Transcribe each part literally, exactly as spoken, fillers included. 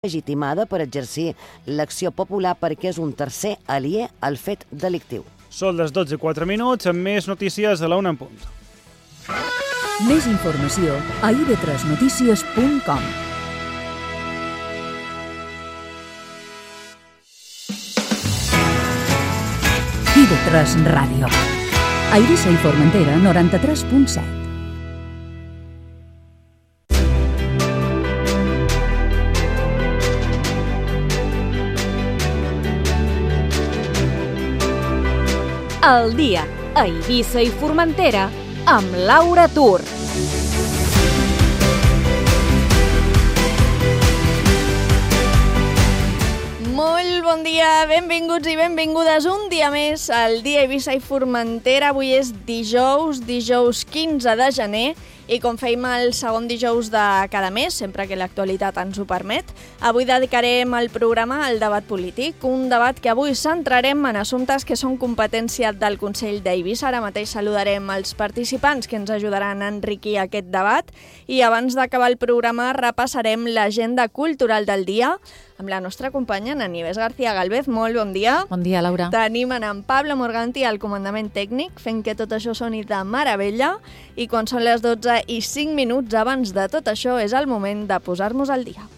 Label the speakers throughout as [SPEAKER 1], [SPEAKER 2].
[SPEAKER 1] legitimada per exercir l'acció popular perquè és un tercer aliè al fet delictiu.
[SPEAKER 2] Són les dotze i quatre minuts, amb més notícies a la una en punt.
[SPEAKER 3] Més informació a i ve tres notícies punt com. i ve tres Ràdio. A Eivissa i Formentera, noranta-tres punt set.
[SPEAKER 4] El dia a Eivissa i Formentera amb Laura Tur.
[SPEAKER 5] Molt bon dia, benvinguts i benvingudes un dia més al dia a Eivissa i Formentera. Avui és dijous, dijous quinze de gener, i com fèiem el segon dijous de cada mes, sempre que l'actualitat ens ho permet, avui dedicarem el programa al debat polític, un debat que avui centrarem en assumptes que són competència del Consell d'Eivissa. Ara mateix saludarem els participants que ens ajudaran a enriquir aquest debat i abans d'acabar el programa repassarem l'agenda cultural del dia amb la nostra companya, en Nieves García Galvez. Molt bon dia.
[SPEAKER 6] Bon dia, Laura.
[SPEAKER 5] Tenim en Pablo Morganti al comandament tècnic, fent que tot això soni de meravella. I quan són les dotze i cinc minuts abans de tot això, és el moment de posar-nos al dia.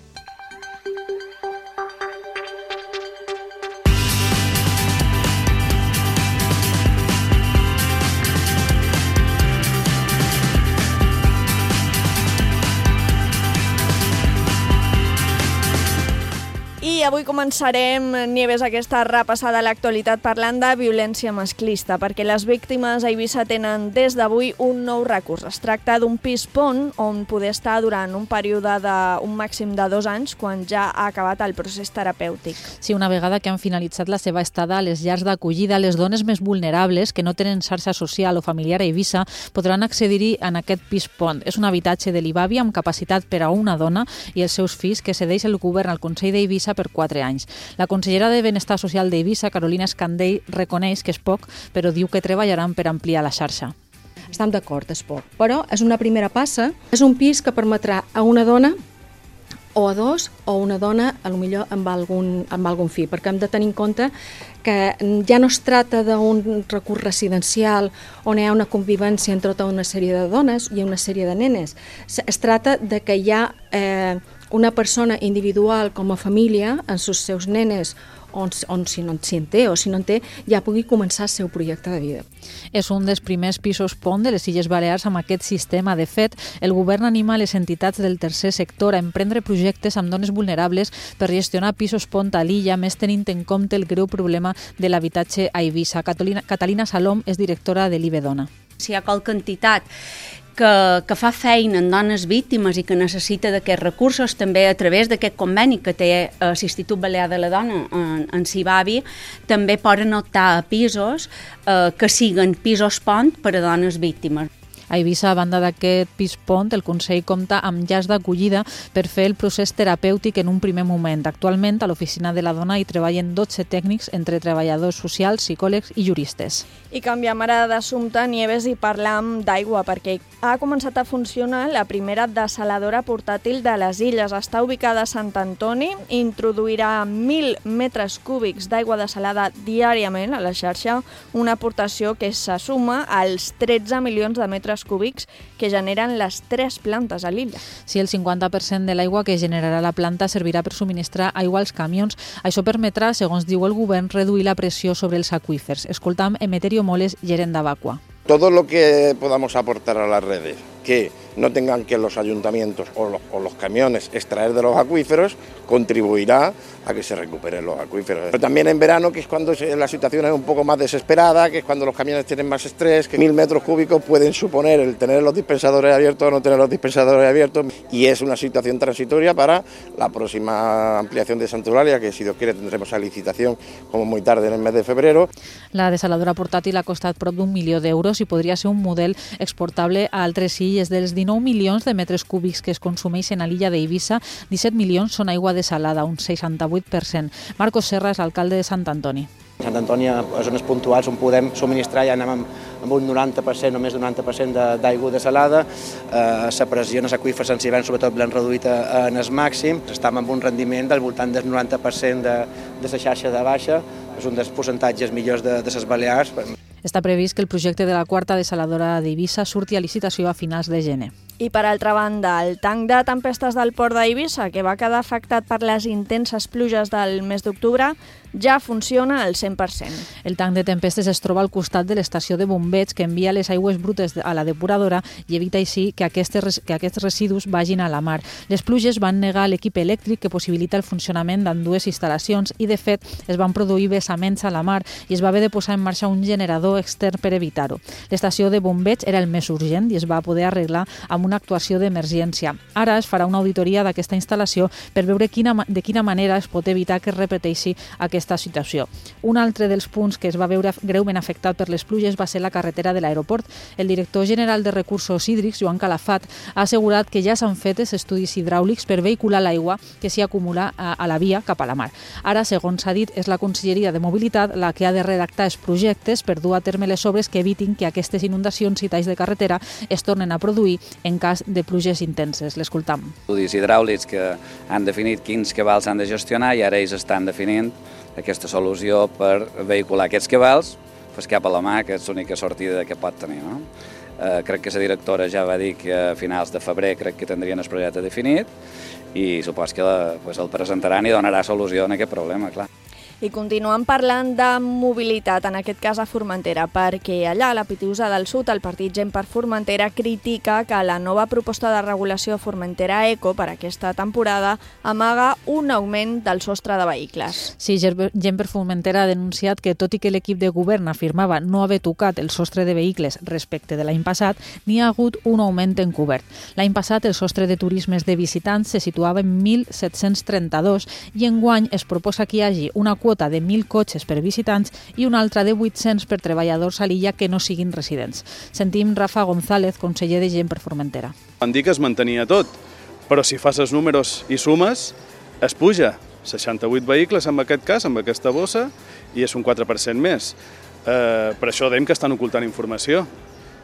[SPEAKER 5] I avui començarem, Nieves, aquesta repassada a l'actualitat parlant de violència masclista, perquè les víctimes a Eivissa tenen des d'avui un nou recurs. Es tracta d'un pis pont on poder estar durant un període d'un màxim de dos anys quan ja ha acabat el procés terapèutic.
[SPEAKER 6] Sí, una vegada que han finalitzat la seva estada a les llars d'acollida, les dones més vulnerables que no tenen xarxa social o familiar a Eivissa podran accedir-hi en aquest pis pont. És un habitatge de l'Ibavi amb capacitat per a una dona i els seus fills que cedeix el govern al Consell d'Eivissa per quatre anys. La consellera de Benestar Social d'Eivissa, Carolina Escandell, reconeix que és poc, però diu que treballaran per ampliar la xarxa.
[SPEAKER 7] Estem d'acord, és poc, però és una primera passa. És un pis que permetrà a una dona o a dos, o una dona, a lo millor amb algun, amb algun fill, perquè hem de tenir en compte que ja no es tracta d'un recurs residencial on hi ha una convivència entre tota una sèrie de dones i una sèrie de nenes. Es tracta de que hi ha eh, una persona individual com a família amb els seus nenes on, on si no en té o si no en té ja pugui començar el seu projecte de vida.
[SPEAKER 6] És un dels primers pisos pont de les Illes Balears amb aquest sistema. De fet, el govern anima les entitats del tercer sector a emprendre projectes amb dones vulnerables per gestionar pisos pont a l'illa, més tenint en compte el greu problema de l'habitatge a Eivissa. Catalina, Catalina Salom és directora de l'I B Dona.
[SPEAKER 8] Si hi ha qualque entitat que, que fa feina en dones víctimes i que necessita d'aquests recursos, també a través d'aquest conveni que té l'Institut Balear de la Dona en, en Cibavi, també poden optar a pisos eh, que siguin pisos pont per a dones víctimes.
[SPEAKER 6] A Eivissa, a banda d'aquest pis pont, el Consell compta amb llars d'acollida per fer el procés terapèutic en un primer moment. Actualment, a l'oficina de la dona hi treballen dotze tècnics entre treballadors socials, psicòlegs i juristes.
[SPEAKER 5] I canviem ara d'assumpte, Nieves, i parlam d'aigua, perquè ha començat a funcionar la primera dessaladora portàtil de les Illes. Està ubicada a Sant Antoni, introduirà mil metres cúbics d'aigua dessalada diàriament a la xarxa, una aportació que se suma als tretze milions de metres cúbics que generen les tres plantes a l'illa.
[SPEAKER 6] Si el cinquanta per cent de l'aigua que generarà la planta servirà per subministrar aigua als camions, això permetrà, segons diu el govern, reduir la pressió sobre els aqüífers. Escoltam Emeterio Moles, gerent d'Avacua.
[SPEAKER 9] Todo lo que podamos aportar a las redes, que no tengan que los ayuntamientos o los, o los camiones extraer de los acuíferos, contribuirá a que se recuperen los acuíferos. Pero también en verano, que es cuando la situación es un poco más desesperada, que es cuando los camiones tienen más estrés, que mil metros cúbicos pueden suponer el tener los dispensadores abiertos o no tener los dispensadores abiertos, y es una situación transitoria para la próxima ampliación de Santa Eulàlia, que si Dios quiere tendremos la licitación como muy tarde en el mes de febrero.
[SPEAKER 6] La desaladora portàtil ha costat prop d'un milió d'euros i podria ser un model exportable a altres illes. Dels dinou milions de metres cúbics que es consumeixen a l'illa d'Eivissa, disset milions són aigua desalada, un seixanta-vuit per cent. Marcos Serra és l'alcalde de Sant Antoni.
[SPEAKER 10] Sant Antoni, a zones puntuals on podem subministrar, ja anem amb, amb un noranta per cent o més d'un noranta per cent d'aigua desalada, eh, la pressió en els aqüífers en l'hivern sobretot l'han reduït en el màxim, estem amb un rendiment del voltant del noranta per cent de, de la xarxa de baixa, és un dels percentatges millors de, de les Balears.
[SPEAKER 6] Està previst que el projecte de la quarta desaladora d'Eivissa surti a licitació a finals de gener.
[SPEAKER 5] I per altra banda, el tanc de tempestes del port d'Eivissa, que va quedar afectat per les intenses pluges del mes d'octubre, ja funciona al cent per cent.
[SPEAKER 6] El tanc de tempestes es troba al costat de l'estació de bombeig que envia les aigües brutes a la depuradora i evita així que, aquestes, que aquests residus vagin a la mar. Les pluges van negar l'equip elèctric que possibilita el funcionament d'ambdues instal·lacions i, de fet, es van produir vessaments a la mar i es va haver de posar en marxa un generador extern per evitar-ho. L'estació de bombeig era el més urgent i es va poder arreglar amb una actuació d'emergència. Ara es farà una auditoria d'aquesta instal·lació per veure quina, de quina manera es pot evitar que es repeteixi aquesta situació. Un altre dels punts que es va veure greument afectat per les pluges va ser la carretera de l'aeroport. El director general de Recursos Hídrics, Joan Calafat, ha assegurat que ja s'han fet els estudis hidràulics per vehicular l'aigua que s'hi acumula a, a la via cap a la mar. Ara, segons s'ha dit, és la Conselleria de Mobilitat la que ha de redactar els projectes per dur a terme les obres que evitin que aquestes inundacions i talls de carretera es tornen a produir en cas de pluges intenses. L'escoltam.
[SPEAKER 11] Estudis hidràulics que han definit quins cabals s'han de gestionar i ara ells estan definint aquesta solució per vehicular aquests cabals pues, cap a la mar, que és l'única sortida que pot tenir. No? Eh, crec que la directora ja va dir que a finals de febrer crec que tindrien el projecte definit i supos que la, pues, el presentaran i donarà solució a aquest problema, clar.
[SPEAKER 5] I continuem parlant de mobilitat, en aquest cas a Formentera, perquè allà, a la Pitiusa del Sud, el partit Gent per Formentera critica que la nova proposta de regulació Formentera Eco per aquesta temporada amaga un augment del sostre de vehicles.
[SPEAKER 6] Sí, Gent per Formentera ha denunciat que, tot i que l'equip de govern afirmava no haver tocat el sostre de vehicles respecte de l'any passat, n'hi ha hagut un augment encobert. L'any passat el sostre de turismes de visitants se situava en mil set-cents trenta-dos i enguany es proposa que hi hagi una quota de mil cotxes per visitants i una altra de vuit-cents per treballadors a l'illa que no siguin residents. Sentim Rafa González, conseller de Gent per Formentera.
[SPEAKER 12] Van dir que es mantenia tot, però si fas els números i sumes, es puja. seixanta-vuit vehicles en aquest cas, amb aquesta bossa, i és un quatre per cent més. Eh, per això dèiem que estan ocultant informació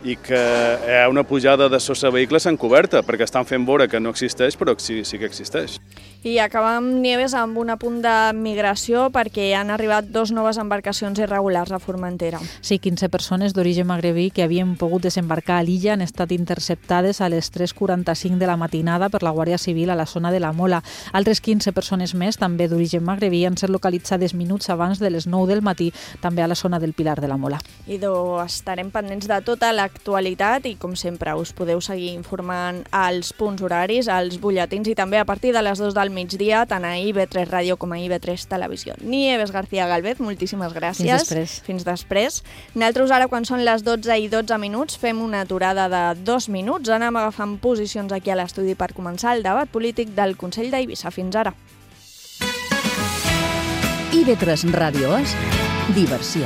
[SPEAKER 12] i que hi ha una pujada de sostre de vehicles encoberta, perquè estan fent veure que no existeix, però sí, sí que existeix.
[SPEAKER 5] I acabem, Nieves, amb un apunt de migració, perquè han arribat dos noves embarcacions irregulars a Formentera.
[SPEAKER 6] Sí, quinze persones d'origen magrebí que havien pogut desembarcar a l'illa han estat interceptades a les tres quaranta-cinc de la matinada per la Guàrdia Civil a la zona de la Mola. Altres quinze persones més, també d'origen magrebí, han estat localitzades minuts abans de les nou del matí, també a la zona del Pilar de la Mola.
[SPEAKER 5] I estarem pendents de tota la actualitat i, com sempre, us podeu seguir informant als punts horaris, als butlletins i també a partir de les dues del migdia, tant a I V tres Ràdio com a I V tres Televisió. Nieves García Galvez, moltíssimes gràcies.
[SPEAKER 6] Fins després.
[SPEAKER 5] Fins després. Nosaltres ara, quan són les dotze i dotze minuts, fem una aturada de dos minuts. Anem agafant posicions aquí a l'estudi per començar el debat polític del Consell d'Eivissa. Fins ara.
[SPEAKER 3] I V tres Ràdio és diversió.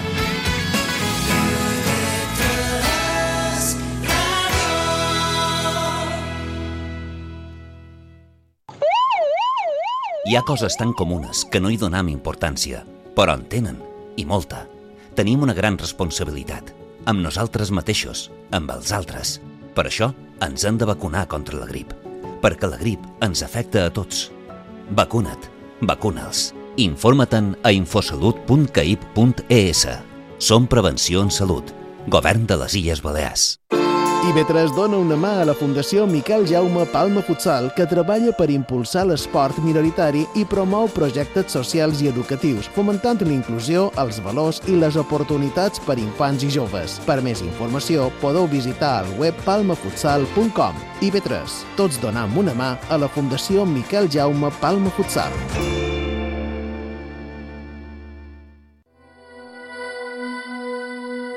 [SPEAKER 13] Hi ha coses tan comunes que no hi donem importància, però en tenen, i molta. Tenim una gran responsabilitat, amb nosaltres mateixos, amb els altres. Per això ens hem de vacunar contra la grip, perquè la grip ens afecta a tots. Vacuna't, vacuna'ls. Informa-te'n a infosalut punt caip punt es. Som Prevenció en Salut, Govern de les Illes Balears.
[SPEAKER 14] I V tres dona una mà a la Fundació Miquel Jaume Palma Futsal, que treballa per impulsar l'esport minoritari i promou projectes socials i educatius, fomentant l'inclusió, els valors i les oportunitats per infants i joves. Per més informació, podeu visitar el web palma futsal punt com. I V tres, tots donem una mà a la Fundació Miquel Jaume Palma Futsal.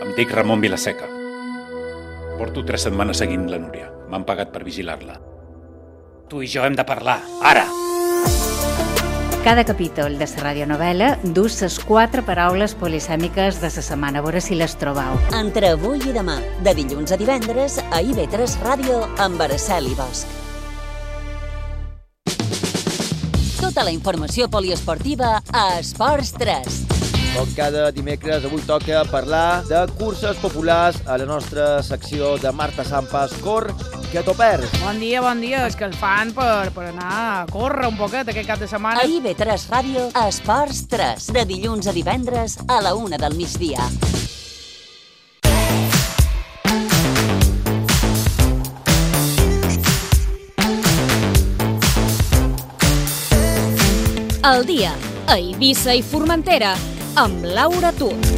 [SPEAKER 15] Em dic Ramon Vilaseca. Porto tres setmanes seguint la Núria. M'han pagat per vigilar-la. Tu i jo hem de parlar, ara!
[SPEAKER 16] Cada capítol de la radionovela du les quatre paraules polisèmiques de la setmana. A veure si les trobeu.
[SPEAKER 17] Entre avui i demà, de dilluns a divendres, a I V tres Ràdio amb Araceli Bosch. Tota la informació poliesportiva a Esports tres.
[SPEAKER 18] Com cada dimecres, avui toca parlar de curses populars a la nostra secció de Marta Sampas, Cor, que t'ho perds.
[SPEAKER 19] Bon dia, bon dia. És que el fan per, per anar a córrer un poquet aquest cap de setmana.
[SPEAKER 17] A I B tres Ràdio, Esports tres, de dilluns a divendres a la una del migdia.
[SPEAKER 4] El dia a Eivissa i Formentera amb Laura Tut.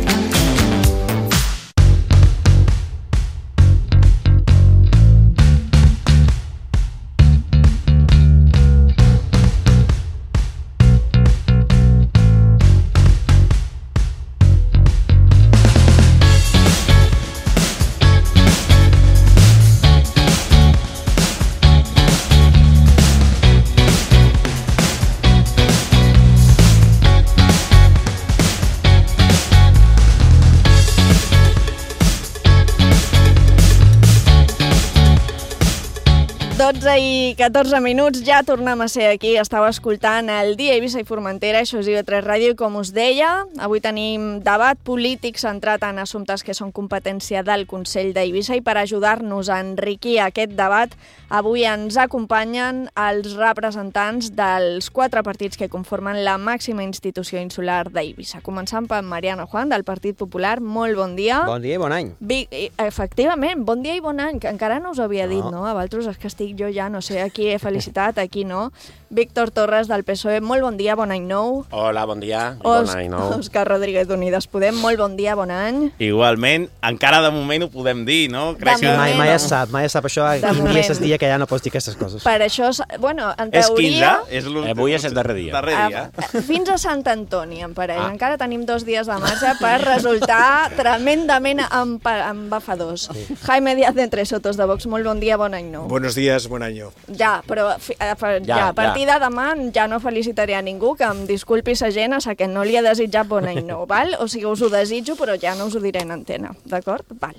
[SPEAKER 5] dotze i catorze minuts, ja tornem a ser aquí. Estava escoltant el Dia Eivissa i Formentera, això és I B tres Ràdio, i com us deia, avui tenim debat polític centrat en assumptes que són competència del Consell d'Eivissa, i per ajudar-nos a enriquir aquest debat, avui ens acompanyen els representants dels quatre partits que conformen la màxima institució insular d'Eivissa. Començant per Mariano Juan, del Partit Popular. Molt bon dia.
[SPEAKER 20] Bon dia i bon any.
[SPEAKER 5] Vi- Efectivament, bon dia i bon any, que encara no us havia dit, no? A vosaltres és que estic jo ja, no sé, aquí he felicitat, aquí no. Víctor Torres, del P S O E, molt bon dia, bon any nou.
[SPEAKER 21] Hola, bon dia i
[SPEAKER 5] Os
[SPEAKER 21] bon any nou.
[SPEAKER 5] Òscar Rodríguez d'Unides Podem, molt bon dia, bon any.
[SPEAKER 21] Igualment, encara de moment ho podem dir, no? Crec
[SPEAKER 20] Sí, mai, mai es sap, mai es sap això. Quin dia és el dia que ja no pots dir aquestes coses.
[SPEAKER 5] Per això, bueno, en
[SPEAKER 21] És
[SPEAKER 5] teoria...
[SPEAKER 21] quinze, és l'últim.
[SPEAKER 15] Avui és el darrer dia.
[SPEAKER 21] Darrer dia.
[SPEAKER 5] Ah, fins a Sant Antoni, en parell. Ah. Encara tenim dos dies de marge per resultar tremendament empa- embafadors. Sí. Jaime Díaz de Entre Sotos, de Vox, molt bon dia, bon any nou.
[SPEAKER 22] Buenos días, buen año.
[SPEAKER 5] Ja, però fi- a, ja,
[SPEAKER 22] Ja,
[SPEAKER 5] ja, a partir
[SPEAKER 22] ja.
[SPEAKER 5] de demà ja no felicitaré a ningú, que em disculpi sa gent a sa que no li he desitjat bon any nou, val? O sigui, us ho desitjo, però ja no us ho diré en antena, d'acord? Val.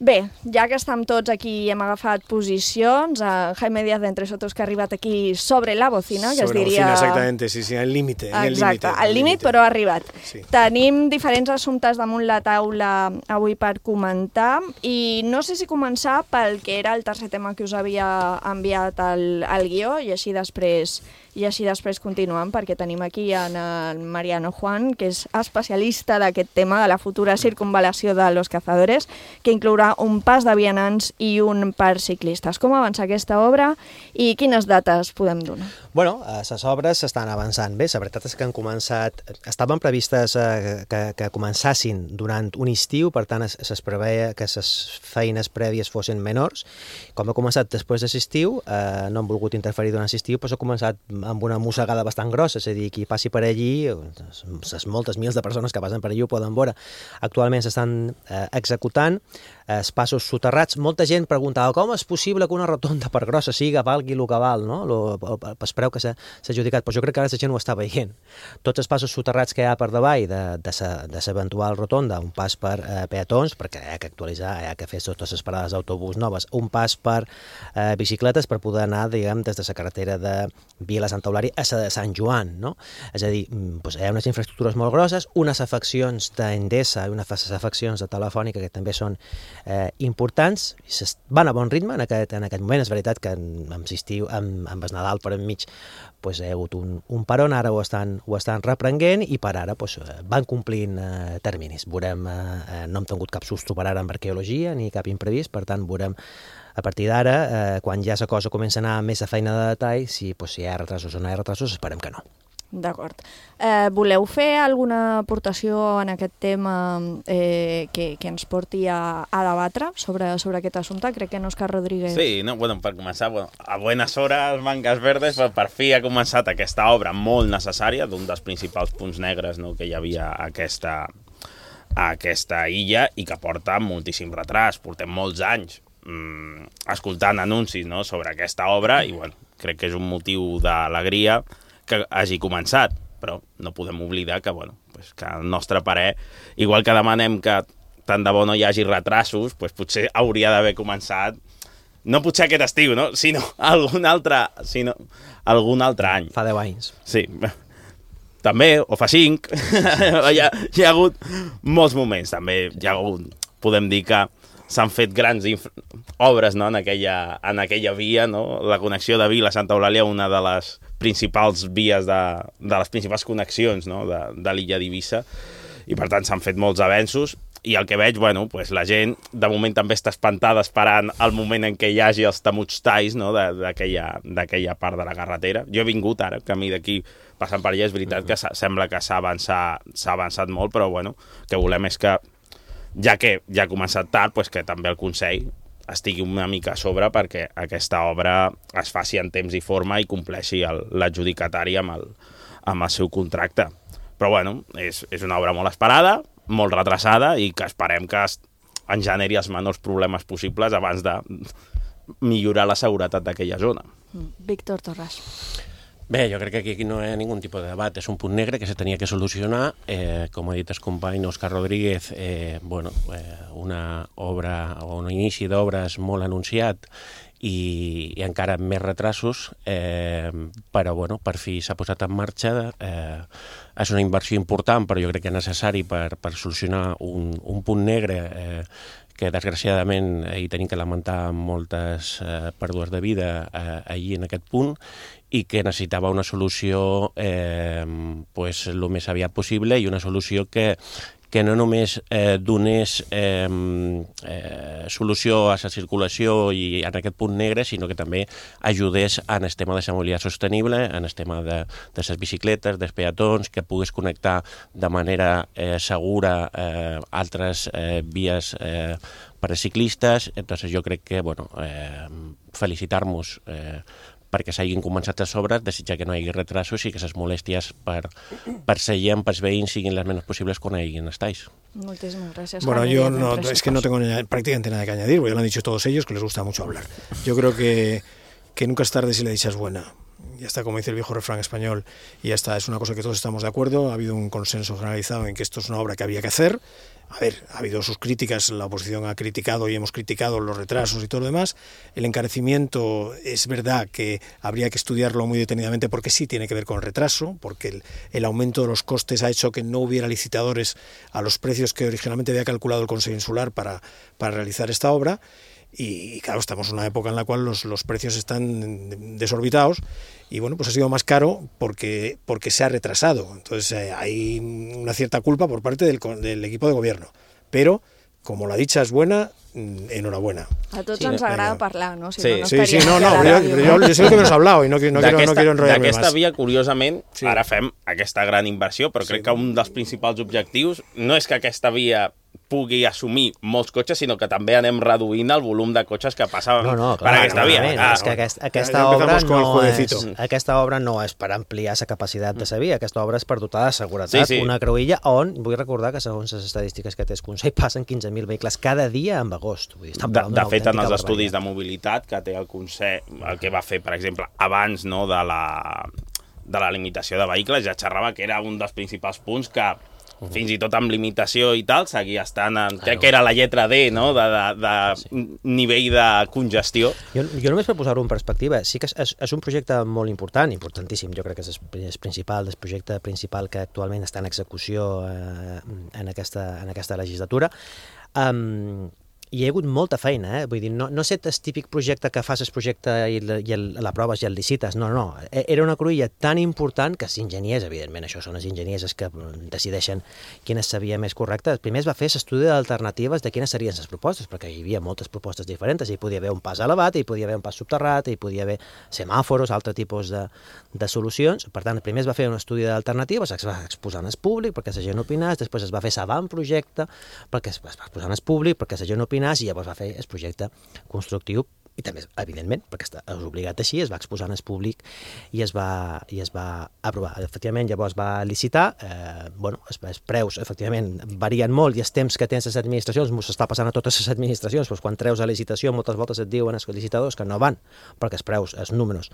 [SPEAKER 5] Bé, ja que estem tots aquí i hem agafat posicions, a Jaime Díaz de Entre Sotos, que ha arribat aquí sobre la bocina, que
[SPEAKER 22] Sobre
[SPEAKER 5] es
[SPEAKER 22] la
[SPEAKER 5] diria...
[SPEAKER 22] bocina, exactamente, sí, sí, al límite. en el
[SPEAKER 5] Exacte,
[SPEAKER 22] límite,
[SPEAKER 5] al límit, però ha arribat.
[SPEAKER 22] Sí.
[SPEAKER 5] Tenim diferents assumptes damunt la taula avui per comentar, i no sé si començar pel que era el tercer tema que us havia enviat al, al guió, i així després i així després continuem, perquè tenim aquí en el Mariano Juan, que és especialista d'aquest tema, de la futura circunvalació de Los Cazadores, que inclourà un pas de vianants i un per ciclistes. Com avança aquesta obra i quines dates podem donar?
[SPEAKER 20] Bueno, les obres estan avançant bé. La veritat és que han començat... Estaven previstes eh, que, que començassin durant un estiu, per tant es, es preveia que les feines prèvies fossin menors. Com ha començat després de l'estiu, eh, no han volgut interferir durant l'estiu, però ha començat amb una mossegada bastant grossa, és a dir, qui passi per allí, les moltes mils de persones que passen per allí ho poden veure. Actualment s'estan eh, executant els passos soterrats. Molta gent preguntava com és possible que una rotonda per grossa siga valgui el que val, no? Lo, el, el preu que s'ha adjudicat, però jo crec que ara la gent ho està veient. Tots els passos soterrats que hi ha per davall de, de l'eventual rotonda, un pas per eh, peatons, perquè hi ha que actualitzar, hi ha que fer totes les parades d'autobús noves, un pas per eh, bicicletes per poder anar, diguem, des de la carretera de Vila Santa Eulària a la de Sant Joan, no? És a dir, doncs, hi ha unes infraestructures molt grosses, unes afeccions d'Endesa i unes afeccions de Telefònica que també són eh, importants, i van a bon ritme en aquest, en aquest moment. És veritat que amb l'estiu, amb, amb el Nadal per enmig, pues, hi ha hagut un, un peron, ara ho estan, ho estan reprenguent, i per ara pues, van complint eh, terminis. Veurem, eh, no hem tingut cap susto per ara amb arqueologia ni cap imprevist, per tant veurem a partir d'ara, eh, quan ja la cosa comença a anar més a feina de detall, si, pues, si hi ha retrasos o no hi ha retrasos, esperem que no.
[SPEAKER 5] D'acord. Eh, voleu fer alguna aportació en aquest tema eh, que, que ens porti a, a debatre sobre, sobre aquest assumpte? Crec que en Òscar Rodríguez...
[SPEAKER 21] Sí, no, bueno, per començar, bueno, a buenas horas, Mangas Verdes, per, per fi ha començat aquesta obra molt necessària, d'un dels principals punts negres, no, que hi havia a aquesta, a aquesta illa, i que porta moltíssim retras. Portem molts anys mm, escoltant anuncis, no, sobre aquesta obra, i bueno, crec que és un motiu d'alegria que hagi començat, però no podem oblidar que, bueno, pues que el nostre parer, igual que demanem que tant de bo no hi hagi retrasos, pues potser hauria d'haver començat, no potser aquest estiu, no? sinó algun altre, sinó algun altre any.
[SPEAKER 20] Fa deu anys.
[SPEAKER 21] Sí. també, o fa cinc. hi, ha, hi ha hagut molts moments, també hi ha hagut, podem dir que s'han fet grans obres, no? en, aquella, en aquella via, no? La connexió de Vila-Santa Eulàlia, una de les principals vies, de, de les principals connexions, no? de, de l'illa d'Eivissa, i per tant s'han fet molts avenços, i el que veig, bueno, pues la gent de moment també està espantada esperant el moment en què hi hagi els temuts talls, no? d'aquella part de la carretera. Jo he vingut ara, camí d'aquí, passant per allà, és veritat que sembla que s'ha avançat, s'ha avançat molt, però bueno, el que volem és que, ja que ja ha començat tard, pues que també el Consell estigui una mica a sobre perquè aquesta obra es faci en temps i forma i compleixi l'adjudicatari amb, el, amb el seu contracte. Però bueno, és, és una obra molt esperada, molt retrasada i que esperem que es, en generi els menors problemes possibles abans de millorar la seguretat d'aquella zona.
[SPEAKER 5] Víctor Torras.
[SPEAKER 1] Bé, jo crec que aquí no hi ha ningun tipus de debat, és un punt negre que se tenia que solucionar, eh, com ha dit el company Òscar Rodríguez, eh, bueno, eh, una obra o un inici d'obres molt anunciat i, i encara amb més retrasos, eh, però bueno, per fi s'ha posat en marxa, eh, és una inversió important, però jo crec que és necessari per, per solucionar un, un punt negre eh, que desgraciadament hi tenim que lamentar moltes eh, pèrdues de vida eh, allí en aquest punt, i que necessitava una solució eh, pues, el més aviat possible i una solució que, que no només eh, donés eh, eh, solució a la circulació i en aquest punt negre, sinó que també ajudés en el tema de la mobilitat sostenible, en el tema de, de les bicicletes, dels peatons, que pogués connectar de manera eh, segura eh, altres eh, vies eh, per a ciclistes. Entonces jo crec que, bueno, eh, felicitar-nos eh, perquè s'hagin començat les obres, desitjar que no hi hagi retrasos i que les molèsties per, per la gent, per els veïns, siguin les menys possibles quan hi hagin els talls.
[SPEAKER 5] Muchísimas gracias.
[SPEAKER 22] Bueno, yo no, es que no tengo prácticamente nada que añadir, porque ya lo han dicho todos ellos, que les gusta mucho hablar. Yo creo que, que nunca es tarde si la dicha es buena. Ya está, como dice el viejo refrán español, y ya está, es una cosa que todos estamos de acuerdo, ha habido un consenso generalizado en que esto es una obra que había que hacer. A ver, ha habido sus críticas, la oposición ha criticado y hemos criticado los retrasos y todo lo demás. El encarecimiento es verdad que habría que estudiarlo muy detenidamente porque sí tiene que ver con el retraso, porque el, el aumento de los costes ha hecho que no hubiera licitadores a los precios que originalmente había calculado el Consejo Insular para, para realizar esta obra. Y, y claro, estamos en una época en la cual los, los precios están desorbitados y bueno, pues ha sido más caro porque, porque se ha retrasado. Entonces eh, hay una cierta culpa por parte del, del equipo de gobierno. Pero, como la dicha es buena, enhorabuena.
[SPEAKER 5] A tots sí, ens agrada parlar, no? Si
[SPEAKER 22] sí,
[SPEAKER 5] no, no
[SPEAKER 22] sí, sí, no, no, però jo, però jo, jo sé que no has hablado i no, no, quiero, no quiero enrotllar-me més.
[SPEAKER 21] D'aquesta via, curiosament, sí. Ara fem aquesta gran inversió, però sí. Crec que un dels principals objectius no és que aquesta via pugui assumir molts cotxes, sinó que també anem reduint el volum de cotxes que passa no, no, clar, per aquesta via.
[SPEAKER 20] Ah, és que aquest, aquesta, ja obra no és, aquesta obra no és per ampliar la capacitat de la via, aquesta obra és per dotar de seguretat sí, sí. una creuilla on, vull recordar que segons les estadístiques que té el Consell, passen quinze mil vehicles cada dia en agost. Vull dir,
[SPEAKER 21] de, de fet, en els estudis de mobilitat que té el Consell, el que va fer, per exemple, abans no, de, la, de la limitació de vehicles, ja xerrava que era un dels principals punts que fins i tot amb limitació i tal, seguia estant en, crec que era la lletra D, no?, de, de, de sí. nivell de congestió.
[SPEAKER 20] Jo, jo només per posar-ho en perspectiva, sí que és, és un projecte molt important, importantíssim, jo crec que és el principal, el projecte principal que actualment està en execució eh, en, aquesta, en aquesta legislatura. Um, hi ha hagut molta feina, eh? Vull dir, no, no sé el típic projecte que fas el projecte i, la, i el, la proves i el licites, no, no, era una cruïlla tan important que els enginyers, evidentment, això són els enginyers els que decideixen quina seria més correcta. Primer es va fer l'estudi d'alternatives de quines serien les propostes, perquè hi havia moltes propostes diferents, hi podia haver un pas elevat, hi podia haver un pas subterrat, hi podia haver semàforos, altre tipus de, de solucions. Per tant, primer es va fer un estudi d'alternatives, es va exposar en el públic perquè la gent opinés, després es va fer l'avantprojecte perquè es va exposar en el públic, perquè la gent opinés, i llavors va fer el projecte constructiu i també, evidentment, perquè està obligat així, es va exposar en el públic i es va, i es va aprovar. Efectivament, llavors va licitar, eh, bueno, els, els preus, efectivament, varien molt i els temps que tens les administracions, m'ho s'està passant a totes les administracions, doncs quan treus a licitació moltes voltes et diuen els licitadors que no van, perquè els preus, els números,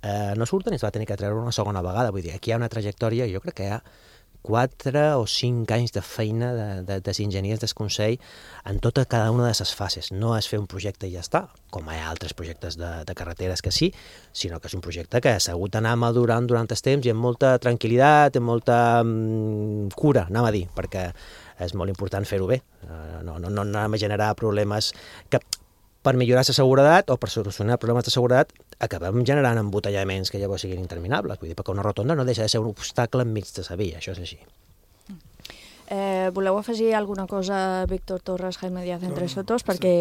[SPEAKER 20] eh, no surten i es va tenir que treure una segona vegada. Vull dir, aquí hi ha una trajectòria, jo crec que hi ha quatre o cinc anys de feina de, de, dels enginyers del Consell en tota cada una de les fases. No és fer un projecte i ja està, com hi ha altres projectes de, de carreteres que sí, sinó que és un projecte que s'ha hagut d'anar madurant durant el temps i amb molta tranquil·litat, amb molta mm, cura, anem a dir, perquè és molt important fer-ho bé. No, no, no anem a generar problemes que per millorar la seguretat o per solucionar problemes de seguretat acabem generant embotellaments que llavors siguin interminables. Vull dir, perquè una rotonda no deixa de ser un obstacle enmig de la via, això és així.
[SPEAKER 5] Eh, voleu afegir alguna cosa, Víctor Torres, Jaime Díaz, entre sotos, perquè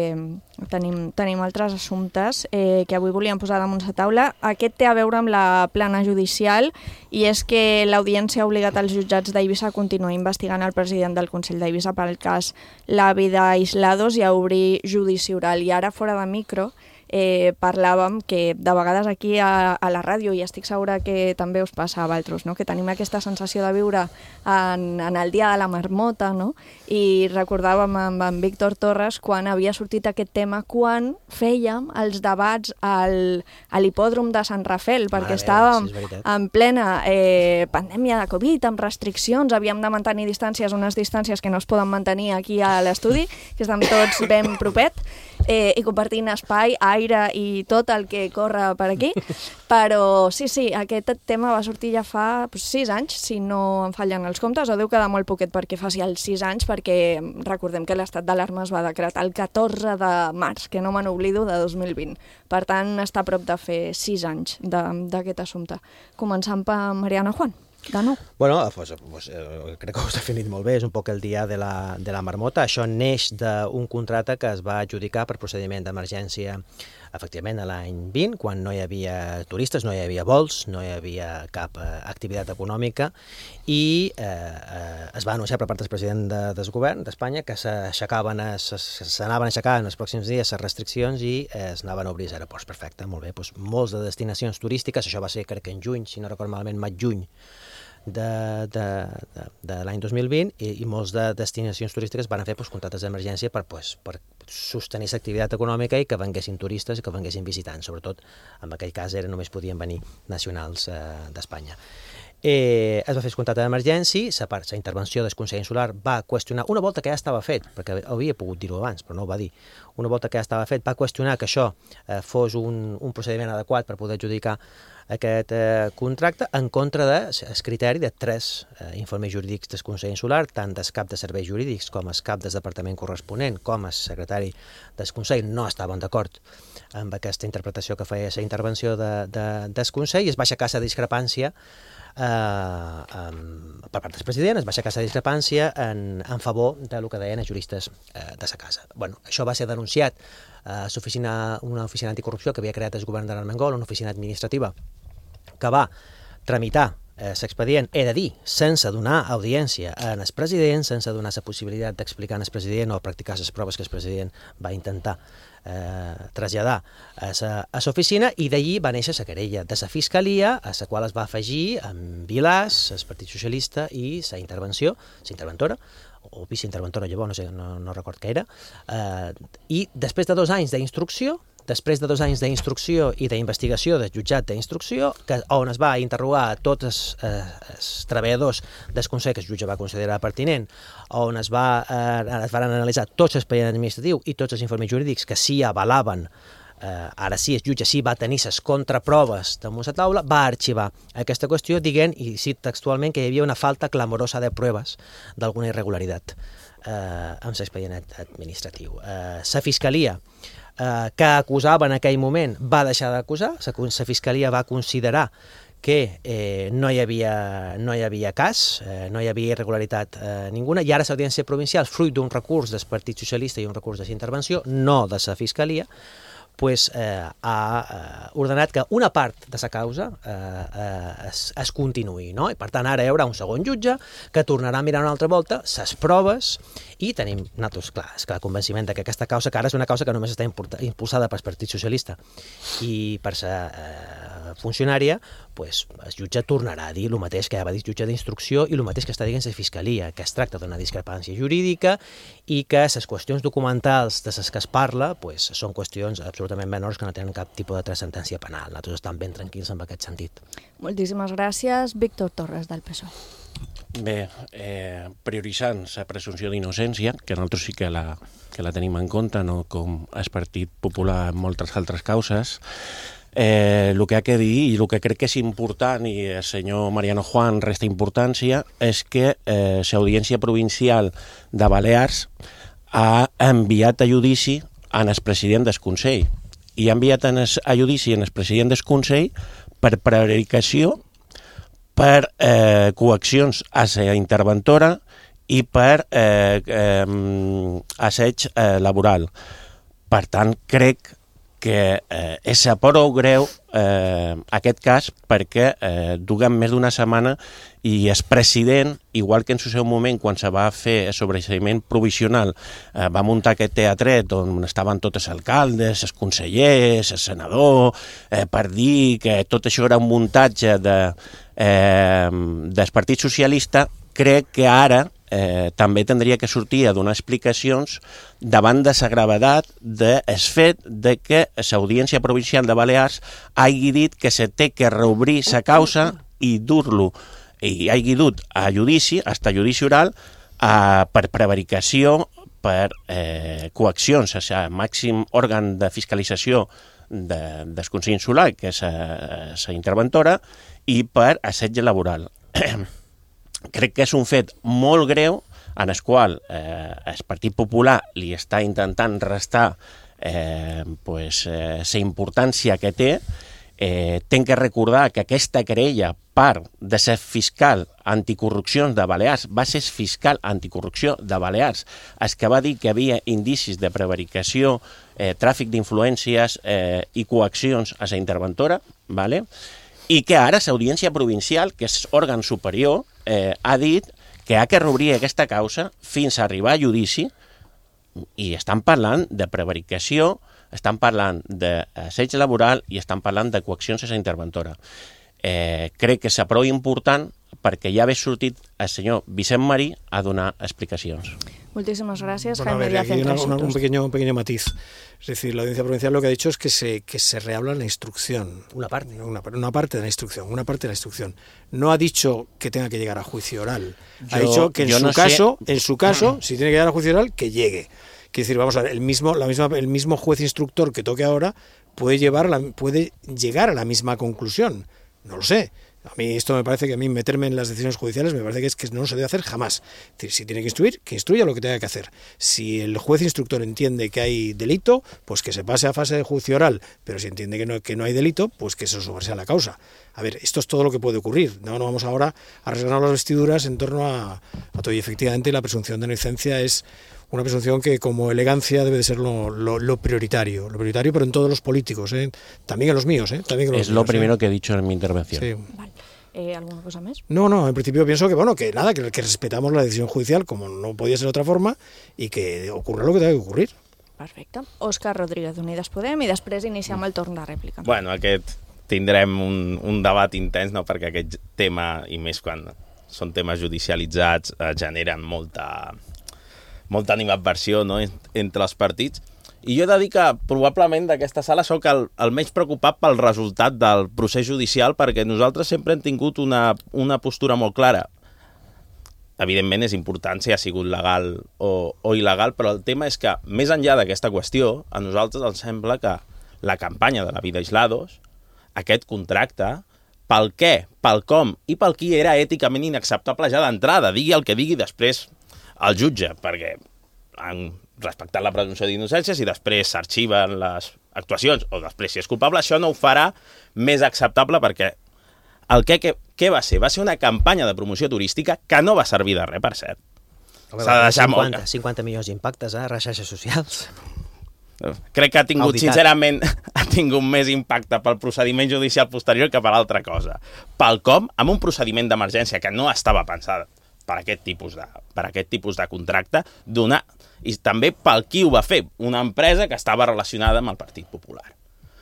[SPEAKER 5] tenim, tenim altres assumptes eh, que avui volíem posar damunt la taula. Aquest té a veure amb la plana judicial i és que l'Audiència ha obligat els jutjats d'Eivissa a continuar investigant el president del Consell d'Eivissa pel cas Lavi d'Aislados i a obrir judici oral. I ara, fora de micro, Eh, parlàvem que de vegades aquí a, a la ràdio, i estic segura que també us passa a vosaltres, no? Que tenim aquesta sensació de viure en, en el dia de la marmota, no? I recordàvem amb en Víctor Torres quan havia sortit aquest tema quan fèiem els debats al, a l'hipòdrom de Sant Rafel, perquè Mare estàvem sí, en plena eh, pandèmia de Covid, amb restriccions, havíem de mantenir distàncies, unes distàncies que no es poden mantenir aquí a l'estudi, que estem tots ben propet, eh, i compartint espai, aire i tot el que corre per aquí, però sí, sí, aquest tema va sortir ja fa pues, sis anys, si no em fallen els comptes, o deu quedar molt poquet perquè faci els sis anys, perquè recordem que l'estat d'alarma es va decretar el catorze de març, que no me n'oblido, de dos mil vint. Per tant, està a prop de fer sis anys d'aquest assumpte. Començant per Mariana Juan. De nou.
[SPEAKER 20] Bueno, pues, pues, eh, crec que ho has definit molt bé, és un poc el dia de la, de la marmota. Això neix d'un contracte que es va adjudicar per procediment d'emergència efectivament a l'any vint, quan no hi havia turistes, no hi havia vols, no hi havia cap eh, activitat econòmica i eh, eh, es va anunciar per part del president de, del govern d'Espanya que s'aixecaven, s'anaven aixecant en els pròxims dies les restriccions i eh, es anaven a obrir els aeroports. Perfecte, molt bé. Doncs molts de destinacions turístiques, això va ser crec que en juny, si no recordo malament, maig-juny, de, de, de, de l'any dos mil vint i, i molts de destinacions turístiques van fer pues, contractes d'emergència per, pues, per sostenir l'activitat econòmica i que venguessin turistes i que venguessin visitants, sobretot en aquell cas era, només podien venir nacionals eh, d'Espanya. Eh, es va fer el contracte d'emergència, la intervenció del Consell Insular va qüestionar, una volta que ja estava fet, perquè havia pogut dir-ho abans, però no ho va dir, una volta que ja estava fet, va qüestionar que això eh, fos un, un procediment adequat per poder adjudicar aquest eh, contracte en contra del criteri de tres eh, informes jurídics del Consell Insular, tant del cap de serveis jurídics com el cap del departament corresponent, com el secretari del Consell no estaven d'acord amb aquesta interpretació que feia la intervenció de, de, del Consell i es va aixecar la discrepància eh, um, per part del president, es va aixecar la discrepància en, en favor del que deien els juristes eh, de la casa. Bueno, això va ser denunciat a l'oficina, una oficina anticorrupció que havia creat el govern de l'Armengol, una oficina administrativa que va tramitar eh, l'expedient, he de dir, sense donar audiència al president, sense donar la possibilitat d'explicar al president o practicar les proves que el president va intentar eh, traslladar a l'oficina, i d'allí va néixer la querella de la Fiscalia, a la qual es va afegir amb Vilàs, el Partit Socialista, i la intervenció, la interventora, o viceinterventora, llavors, no sé, no, no record què era, eh, i després de dos anys d'instrucció, després de dos anys d'instrucció i d'investigació del jutjat d'instrucció, on es va interrogar a tots els, eh, els treballadors del Consell que el jutge va considerar pertinent, on es, va, eh, es van analitzar tots els expedients administratius i tots els informes jurídics que sí avalaven, eh, ara sí, el jutge sí va tenir les contraproves damunt la taula, va arxivar aquesta qüestió dient, i cit textualment, que hi havia una falta clamorosa de proves d'alguna irregularitat eh, amb l'expedient administratiu. Eh, la Fiscalia Uh, que acusava en aquell moment va deixar d'acusar, la Fiscalia va considerar que eh, no, hi havia, no hi havia cas, eh, no hi havia irregularitat eh, ninguna, i ara l'Audiència Provincial, fruit d'un recurs del Partit Socialista i un recurs d'intervenció, no de la Fiscalia, pues, eh, ha eh, ordenat que una part de la causa eh, eh, es, es continuï, no? I per tant ara hi haurà un segon jutge que tornarà a mirar una altra volta les proves i tenim, nosaltres, clar, és que el convenciment que aquesta causa, que ara és una causa que només està impulsada pel Partit Socialista i per la eh, funcionària, pues, el jutge tornarà a dir el mateix que ja va dir el jutge d'instrucció i el mateix que està dient la Fiscalia, que es tracta d'una discrepància jurídica i que les qüestions documentals de les que es parla pues, són qüestions absolutament menors que no tenen cap tipus de transcendència penal. Nosaltres estem ben tranquils en aquest sentit.
[SPEAKER 5] Moltíssimes gràcies. Víctor Torres, del P S O E.
[SPEAKER 1] Bé, eh, prioritzant la presumpció d'innocència, que nosaltres sí que la, que la tenim en compte, no com el Partit Popular en moltes altres causes, eh, el que ha que dir i el que crec que és important, i el senyor Mariano Juan resta importància, és que eh, l'Audiència Provincial de Balears ha enviat a judici en el president del Consell, i ha enviat a judici en el president del Consell per prevaricació, per eh, coaccions a la interventora i per eh, eh, asseig eh, laboral. Per tant, crec que eh, és prou greu eh, aquest cas perquè eh, duguem més d'una setmana i el president, igual que en el seu moment quan se va fer el sobreseïment provisional, eh, va muntar aquest teatret on estaven tots els alcaldes, els consellers, el senador, eh, per dir que tot això era un muntatge de, eh, del Partit Socialista. Crec que ara eh, també tindria que sortir a donar explicacions davant de la gravetat del fet de que l'Audiència Provincial de Balears hagi dit que se té que reobrir la causa i dur-lo, i hagi dut a judici, hasta judici oral, a, per prevaricació, per eh, coaccions, o sigui, màxim òrgan de fiscalització de, del Consell Insular, que és la interventora, i per assetge laboral. Crec que és un fet molt greu en el qual eh, el Partit Popular li està intentant restar eh, pues, eh, la importància que té. Eh, tenc que recordar que aquesta querella, part de ser fiscal anticorrupció de Balears, va ser fiscal anticorrupció de Balears, el que va dir que havia indicis de prevaricació, eh, tràfic d'influències eh, i coaccions a la interventora, ¿vale? I que ara l'Audiència Provincial, que és òrgan superior, eh, ha dit que ha que reobrir aquesta causa fins a arribar a judici, i estan parlant de prevaricació, estan parlant d'asseig laboral i estan parlant de coaccions a la interventora. Eh, crec que és prou important perquè ja ve sortit el senyor Vicent Marí a donar explicacions.
[SPEAKER 5] Muchísimas gracias,
[SPEAKER 22] bueno,
[SPEAKER 5] Jaime
[SPEAKER 22] a ver,
[SPEAKER 5] Díaz.
[SPEAKER 22] Aquí una, una, un, pequeño, un pequeño matiz. Es decir, la Audiencia Provincial lo que ha dicho es que se, que se rehabla la instrucción.
[SPEAKER 20] Una parte.
[SPEAKER 22] Una, una parte de la instrucción, una parte de la instrucción. No ha dicho que tenga que llegar a juicio oral. Ha
[SPEAKER 1] yo,
[SPEAKER 22] dicho que en su
[SPEAKER 1] no
[SPEAKER 22] caso,
[SPEAKER 1] sé...
[SPEAKER 22] en su caso, si tiene que llegar a juicio oral, que llegue. Quiere decir, vamos a ver, el mismo, la misma, el mismo juez instructor que toque ahora puede, llevar la, puede llegar a la misma conclusión. No lo sé. A mí esto me parece que a mí meterme en las decisiones judiciales me parece que es que no se debe hacer jamás. Es decir, si tiene que instruir, que instruya lo que tenga que hacer. Si el juez instructor entiende que hay delito, pues que se pase a fase de juicio oral. Pero si entiende que no, que no hay delito, pues que se sobresea la causa. A ver, esto es todo lo que puede ocurrir. No, no vamos ahora a rasgarnos las vestiduras en torno a, a todo. Y efectivamente la presunción de inocencia es una presunción que como elegancia debe de ser lo, lo, lo prioritario, lo prioritario, pero en todos los políticos, ¿eh? También en los míos, ¿eh? También en los
[SPEAKER 1] es
[SPEAKER 22] míos,
[SPEAKER 1] lo primero
[SPEAKER 22] ¿eh?
[SPEAKER 1] que he dicho en mi intervención.
[SPEAKER 22] Sí.
[SPEAKER 5] Vale. Eh, ¿Alguna cosa más?
[SPEAKER 22] No, no, en principio pienso que bueno, que nada, que, que respetamos la decisión judicial como no podía ser de otra forma y que ocurra lo que tenga que ocurrir.
[SPEAKER 5] Perfecte. Òscar Rodríguez, Unides Podem, i després iniciem el torn de rèplica.
[SPEAKER 21] Bueno, aquest tindrem un, un debat intens, no? Perquè aquest tema, i més quan són temes judicialitzats, eh, generen molta, molta animadversió, no? Entre els partits. I jo he de dir que probablement d'aquesta sala sóc el, el menys preocupat pel resultat del procés judicial, perquè nosaltres sempre hem tingut una, una postura molt clara. Evidentment és important si ha sigut legal o, o il·legal, però el tema és que, més enllà d'aquesta qüestió, a nosaltres ens sembla que la campanya de la vida aislados, aquest contracte, pel què, pel com i pel qui era èticament inacceptable ja d'entrada, digui el que digui després el jutge, perquè han respectat la presumpció d'innocència, si després s'arxiven les actuacions o després si és culpable, això no ho farà més acceptable, perquè el que, que, què va ser? Va ser una campanya de promoció turística que no va servir de res, per cert. S'ha de deixar
[SPEAKER 20] cinquanta, cinquanta milions d'impactes, eh, a les xarxes socials.
[SPEAKER 21] Crec que ha tingut,
[SPEAKER 20] Auditat.
[SPEAKER 21] sincerament, ha tingut més impacte pel procediment judicial posterior que per altra cosa. Pel com, amb un procediment d'emergència que no estava pensat per aquest tipus de, per aquest tipus de contracte, donar, i també pel qui ho va fer, una empresa que estava relacionada amb el Partit Popular.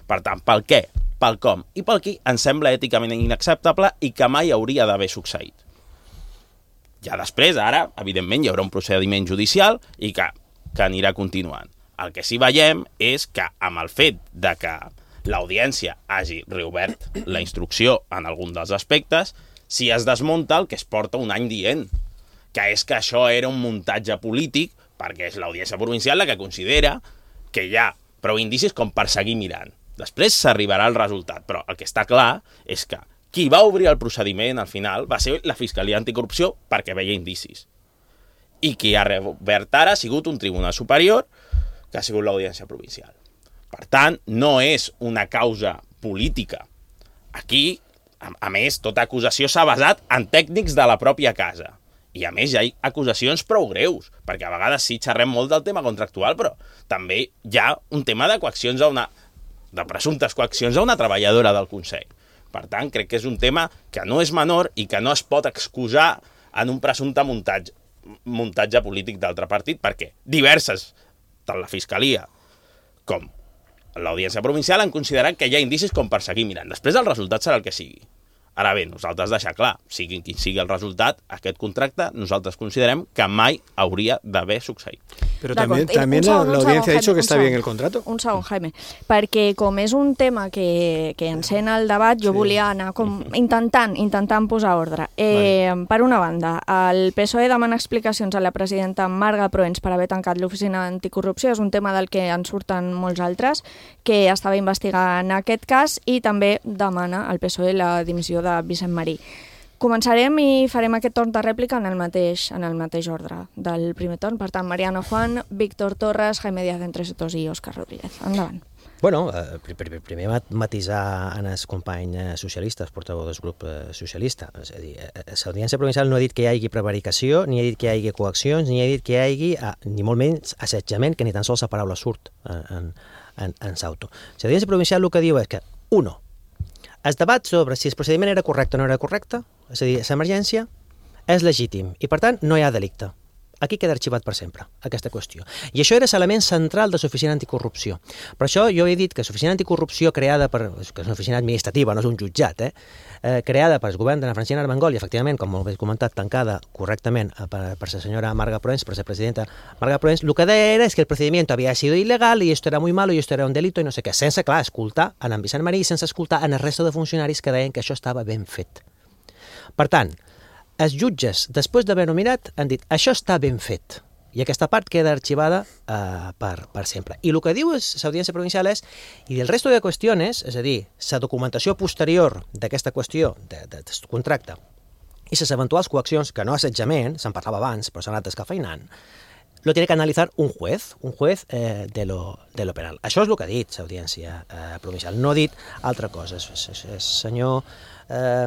[SPEAKER 21] Per tant, pel què, pel com i pel qui ens sembla èticament inacceptable i que mai hauria d'haver succeït. Ja després, ara, evidentment, hi haurà un procediment judicial i que, que anirà continuant. El que sí veiem és que amb el fet de que l'audiència hagi reobert la instrucció en algun dels aspectes, si es desmunta el que es porta un any dient, que és que això era un muntatge polític, perquè és l'Audiència Provincial la que considera que hi ha prou indicis com per seguir mirant. Després s'arribarà al resultat, però el que està clar és que qui va obrir el procediment al final va ser la Fiscalia Anticorrupció perquè veia indicis. I qui ha reobert ara ha sigut un tribunal superior que ha sigut l'Audiència Provincial. Per tant, no és una causa política. Aquí, a, a més, tota acusació s'ha basat en tècnics de la pròpia casa. I a més hi ha acusacions prou greus, perquè a vegades sí xerrem molt del tema contractual, però també hi ha un tema de coaccions a una, de presumptes coaccions a una treballadora del Consell. Per tant, crec que és un tema que no és menor i que no es pot excusar en un presumpte muntatge, muntatge polític d'altre partit, perquè diverses, tant la Fiscalia com l'Audiència Provincial, han considerat que hi ha indicis com per seguir mirant. Després el resultat serà el que sigui. Ara bé, nosaltres deixar clar, sigui quin sigui el resultat, aquest contracte nosaltres considerem que mai hauria d'haver succeït.
[SPEAKER 22] Però també, també l'audiència ha dit que està bé el contrato.
[SPEAKER 5] Un segon, Jaime, perquè com és un tema que, que encena el debat, jo sí. volia anar com intentant, intentant posar ordre. Eh, vale. Per una banda, el P S O E demana explicacions a la presidenta Marga Proens per haver tancat l'oficina anticorrupció, és un tema del que en surten molts altres, que estava investigant aquest cas, i també demana al P S O E la dimissió de Vicent Marí. Començarem i farem aquest torn de rèplica en el mateix, en el mateix ordre del primer torn. Per tant, Mariano Juan, Víctor Torres, Jaime Díaz Entre Sotos i Òscar Rodríguez. Endavant.
[SPEAKER 20] Bueno, eh, primer matisar en els companys socialistes, portaveu del grup socialista. És a dir, l'Audiència Provincial no ha dit que hi hagi prevaricació, ni ha dit que hi hagi coaccions, ni ha dit que hi hagi, ni molt menys, assetjament, que ni tan sols la paraula surt en, en, en s'auto. L'Audiència Provincial el que diu és que, uno, el debat sobre si el procediment era correcte o no era correcte, és a dir, l'emergència, és legítim i, per tant, no hi ha delicte. Aquí queda arxivat per sempre, aquesta qüestió. I això era l'element central de l'oficina anticorrupció. Per això jo he dit que l'oficina anticorrupció creada per... que és una oficina administrativa, no és un jutjat, eh? eh creada per el govern d'Anna Francina Armengol i, efectivament, com molt bé comentat, tancada correctament per, per la senyora Marga Proens, per la presidenta Marga Proens, el que deia era que el procediment havia sido ilegal i esto era muy malo i esto era un delito i no sé què, sense, clar, escoltar en en Vicent Marí i sense escoltar en el resto de funcionaris que deien que això estava ben fet. Per tant, els jutges, després d'haver nominat, han dit això està ben fet i aquesta part queda arxivada uh, per, per sempre. I el que diu l'Audiència Provincial és, i del resto de qüestions, és a dir, la documentació posterior d'aquesta qüestió de, de, de contracte i les eventuals coaccions, que no assetjament, se'n parlava abans, però s'han anat escafeinant, lo tiene que analitzar un juez, un juez eh, de, lo, de lo penal. Això és el que ha dit l'Audiència eh, Provincial, no ha dit altra cosa. El senyor eh,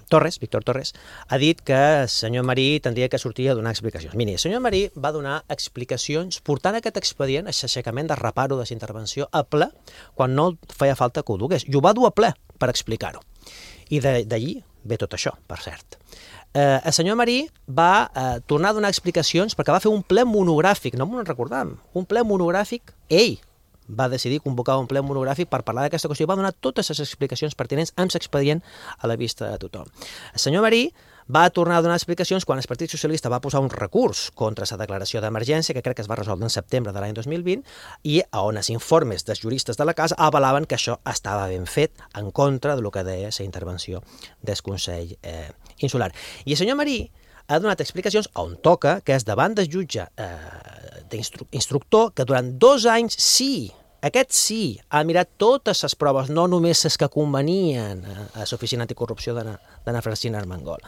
[SPEAKER 20] Torres, Víctor Torres, ha dit que el senyor Marí tindria que sortir a donar explicacions. Miri, el senyor Marí va donar explicacions portant aquest expedient, l'aixecament de reparo de la intervenció a ple, quan no feia falta que ho dugués. I ho va dur a ple per explicar-ho. I d'allí ve tot això, per cert. Eh, el senyor Marí va eh, tornar a donar explicacions perquè va fer un ple monogràfic, no m'ho recordam, un ple monogràfic, ell va decidir convocar un ple monogràfic per parlar d'aquesta qüestió i va donar totes les explicacions pertinents amb l'expedient a la vista de tothom. El senyor Marí va tornar a donar explicacions quan el Partit Socialista va posar un recurs contra la declaració d'emergència, que crec que es va resoldre en setembre de l'any dos mil vint, i on els informes dels juristes de la casa avalaven que això estava ben fet en contra del que deia la intervenció del Consell eh, Insular. I el senyor Marí ha donat explicacions on toca, que és davant del jutge eh, d'instructor, que durant dos anys sí, aquest sí, ha mirat totes les proves, no només les que convenien a l'Oficina Anticorrupció d'Anna Francina Armengol.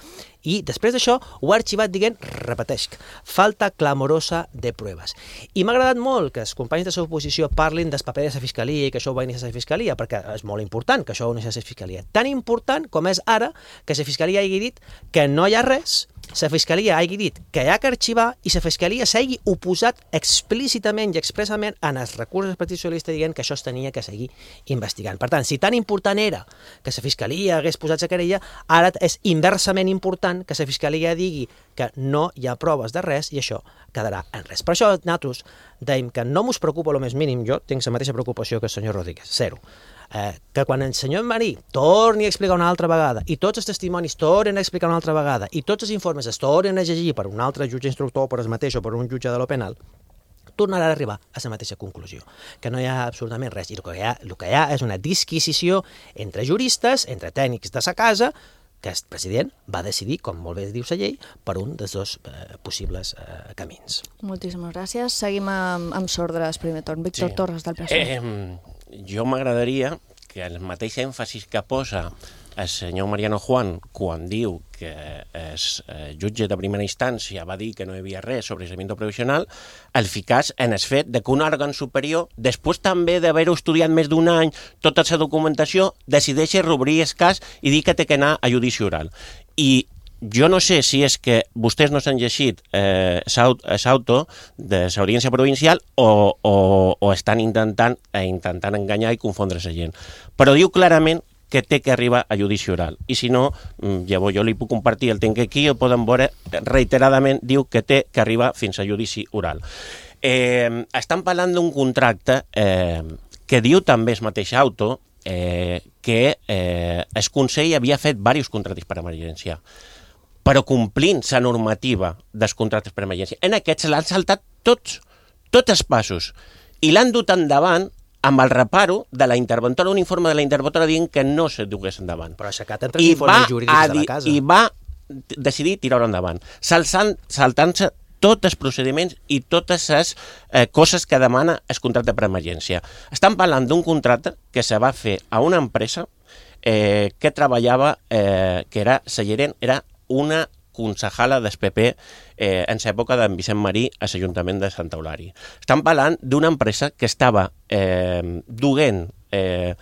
[SPEAKER 20] I després d'això ho ha arxivat dient, repeteix, falta clamorosa de proves. I m'ha agradat molt que els companys de l'oposició parlin del paper de la Fiscalia i que això ho va iniciar la Fiscalia, perquè és molt important que això ho iniciés la Fiscalia. Tan important com és ara que la Fiscalia hagi dit que no hi ha res, la Fiscalia hagi dit que hi ha que arxivar i la Fiscalia s'hagi oposat explícitament i expressament en els recursos del Partit Socialista dient que això es tenia que seguir investigant. Per tant, si tan important era que la Fiscalia hagués posat la querella, ara és inversament important que la Fiscalia digui que no hi ha proves de res i això quedarà en res. Per això nosaltres dèiem que no mos preocupa el més mínim, jo tinc la mateixa preocupació que el senyor Rodríguez, zero. Eh, que quan el senyor Marí torni a explicar una altra vegada i tots els testimonis tornen a explicar una altra vegada i tots els informes es tornen a llegir per un altre jutge instructor, per el mateix o per un jutge de lo penal, tornarà a arribar a la mateixa conclusió, que no hi ha absolutament res. I el que hi ha, el que hi ha és una disquisició entre juristes, entre tècnics de sa casa, aquest president va decidir, com molt bé diu la llei, per un dels dos eh, possibles eh, camins.
[SPEAKER 5] Moltíssimes gràcies. Seguim amb, amb Sordres, primer torn. Víctor sí. Torres, del P S O E.
[SPEAKER 1] Eh, jo m'agradaria que el mateix èmfasis que posa el senyor Mariano Juan, quan diu que el jutge de primera instància va dir que no hi havia res sobre aislamiento provisional, el ficàs en el fet de que un òrgan superior, després també d'haver-ho estudiat més d'un any, tota la documentació, decideix reobrir el cas i dir que té que anar a judici oral. I jo no sé si és que vostès no s'han llegit eh, l'auto de l'Audiència Provincial o, o, o estan intentant, eh, intentant enganyar i confondre la gent. Però diu clarament que té que arribar a judici oral. I si no, llavors jo li puc compartir el tenc aquí, el poden veure reiteradament, diu que té que arribar fins a judici oral. Eh, estan parlant d'un contracte eh, que diu també el mateix auto eh, que eh, el Consell havia fet diversos contractes per emergència, però complint la normativa dels contractes per emergència. En aquests l'han saltat tots, tots els passos, i l'han dut endavant amb el reparo de la interventora, un informe de la interventora dient que no se dugués endavant.
[SPEAKER 20] Però aixecat entre els informes jurídics de la casa.
[SPEAKER 1] I va decidir tirar-ho endavant, saltant-se tots els procediments i totes les eh, coses que demana el contracte per emergència. Estan parlant d'un contracte que se va fer a una empresa eh, que treballava, eh, que era, la gerent era una concejala del P P eh, en l'època d'en Vicent Marí a l'Ajuntament de Santa Eulària. Estan parlant d'una empresa que estava eh, duent eh,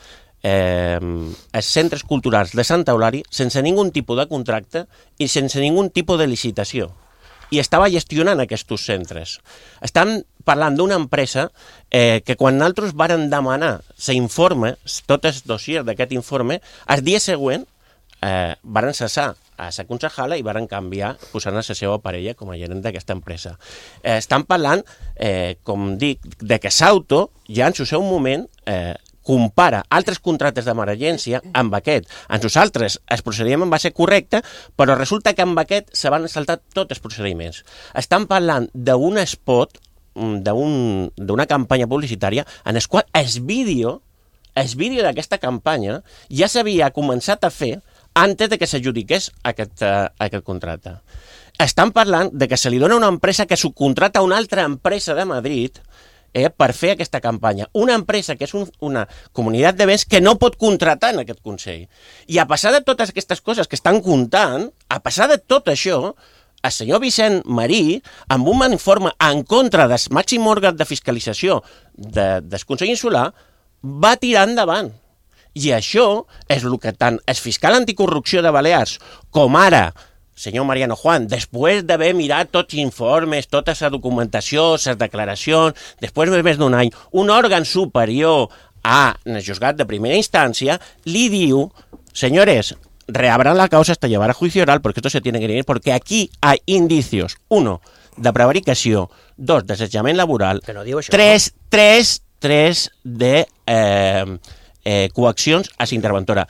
[SPEAKER 1] eh, els centres culturals de Santa Eulària sense ningun tipus de contracte i sense ningun tipus de licitació. I estava gestionant aquests centres. Estan parlant d'una empresa eh, que quan nosaltres varen demanar l'informe, tot el dossier d'aquest informe, el dia següent eh, varen cessar a la concejala i varen canviar posant a la seva parella com a gerent d'aquesta empresa. Eh, estan parlant, eh, com dic, de que l'auto ja en el seu moment eh, compara altres contractes d'emergència amb aquest. En nosaltres el procediment va ser correcte, però resulta que amb aquest se van saltar tots els procediments. Estan parlant d'un spot, d'una campanya publicitària en el qual el vídeo, el vídeo d'aquesta campanya ja s'havia començat a fer antes de que s'adjudiqués aquest, uh, aquest contracte. Estan parlant de que se li dona una empresa que subcontrata a una altra empresa de Madrid eh, per fer aquesta campanya. Una empresa que és un, una comunitat de béns que no pot contratar en aquest Consell. I a passar de totes aquestes coses que estan comptant, a passar de tot això, el senyor Vicent Marí, amb un informe en contra del màxim òrgan de fiscalització de, del Consell Insular, va tirar endavant. I això és el que tant el fiscal anticorrupció de Balears com ara, senyor Mariano Juan, després d'haver mirat tots els informes, tota la documentació, les declaracions, després de més d'un any, un òrgan superior a el juzgat de primera instància li diu, señores, reabran la causa hasta llevar a juicio oral porque esto se tiene que ir, porque aquí hay indicios, uno, de prevaricació, dos, desallotjament laboral,
[SPEAKER 20] que no diu això,
[SPEAKER 1] tres,
[SPEAKER 20] no?
[SPEAKER 1] tres, tres de... Eh, Eh, coaccions a la interventora.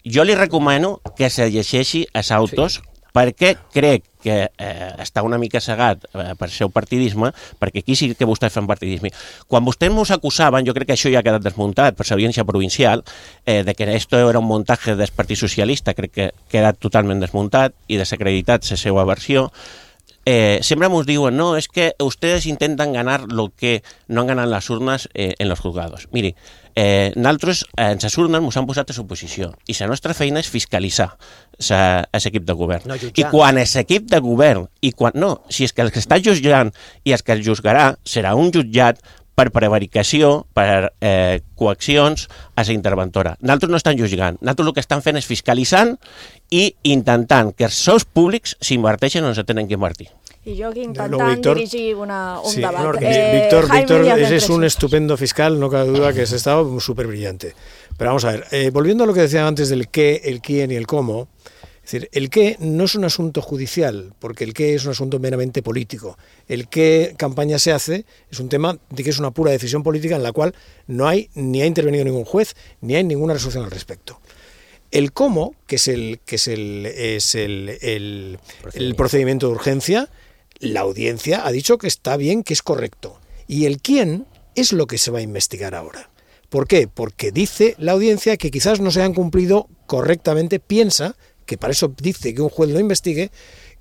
[SPEAKER 1] Jo li recomano que se llegeixi els autos sí. perquè crec que eh, està una mica cegat eh, per seu partidisme, perquè aquí sí que vostès fan partidisme. Quan vostès ens acusaven, jo crec que això ja ha quedat desmuntat per l'Audiència Provincial, eh, de que esto era un montatge del Partit Socialista, crec que ha quedat totalment desmuntat i desacreditat la seva versió. Eh, siempre nos diuen, no, es que ustedes intentan ganar lo que no han ganado en las urnas eh, en los juzgados. Miri, eh, nosaltres en les urnes ens han posat a suposició i la nostra feina és fiscalitzar l'equip de govern.
[SPEAKER 20] No,
[SPEAKER 1] I quan l'equip de govern, i quan, no, si és que el que està jutjant i el que el juzgarà serà un jutjat per prevaricació, per eh, coaccions a la interventora. Nosaltres no estan jutjant, nosaltres el que estan fent és fiscalitzant i intentant que els sous públics s'inverteixen on se tenen que invertir.
[SPEAKER 5] Y yo aquí intentando
[SPEAKER 22] no, Víctor,
[SPEAKER 5] dirigir una, un
[SPEAKER 22] sí,
[SPEAKER 5] debate.
[SPEAKER 22] No,
[SPEAKER 5] eh,
[SPEAKER 22] Víctor,
[SPEAKER 5] Jaime
[SPEAKER 22] Víctor
[SPEAKER 5] Díaz
[SPEAKER 22] es un
[SPEAKER 5] Preso.
[SPEAKER 22] estupendo fiscal, no cabe duda que es estado súper brillante. Pero vamos a ver, eh, volviendo a lo que decía antes del qué, el quién y el cómo, es decir, el qué no es un asunto judicial, porque el qué es un asunto meramente político. El qué campaña se hace es un tema de que es una pura decisión política en la cual no hay ni ha intervenido ningún juez, ni hay ninguna resolución al respecto. El cómo, que es el, que es el, es el, el, el procedimiento de urgencia, la audiencia ha dicho que está bien, que es correcto. Y el quién es lo que se va a investigar ahora. ¿Por qué? Porque dice la audiencia que quizás no se han cumplido correctamente, piensa que para eso dice que un juez lo investigue,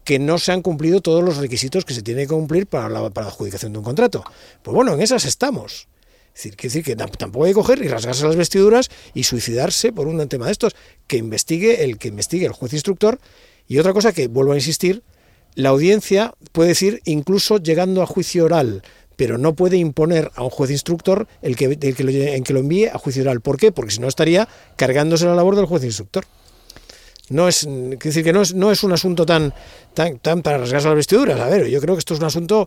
[SPEAKER 22] que no se han cumplido todos los requisitos que se tiene que cumplir para la, para la adjudicación de un contrato. Pues bueno, en esas estamos. Es decir, que, decir que tampoco hay que coger y rasgarse las vestiduras y suicidarse por un tema de estos. Que investigue el que investigue el juez instructor. Y otra cosa que, vuelvo a insistir, la audiencia puede decir incluso llegando a juicio oral, pero no puede imponer a un juez instructor el que, el que, lo, en que lo envíe a juicio oral. ¿Por qué? Porque si no estaría cargándose la labor del juez instructor. No es, es decir, que no es, no es un asunto tan, tan, tan para rasgarse las vestiduras. A ver, yo creo que esto es un asunto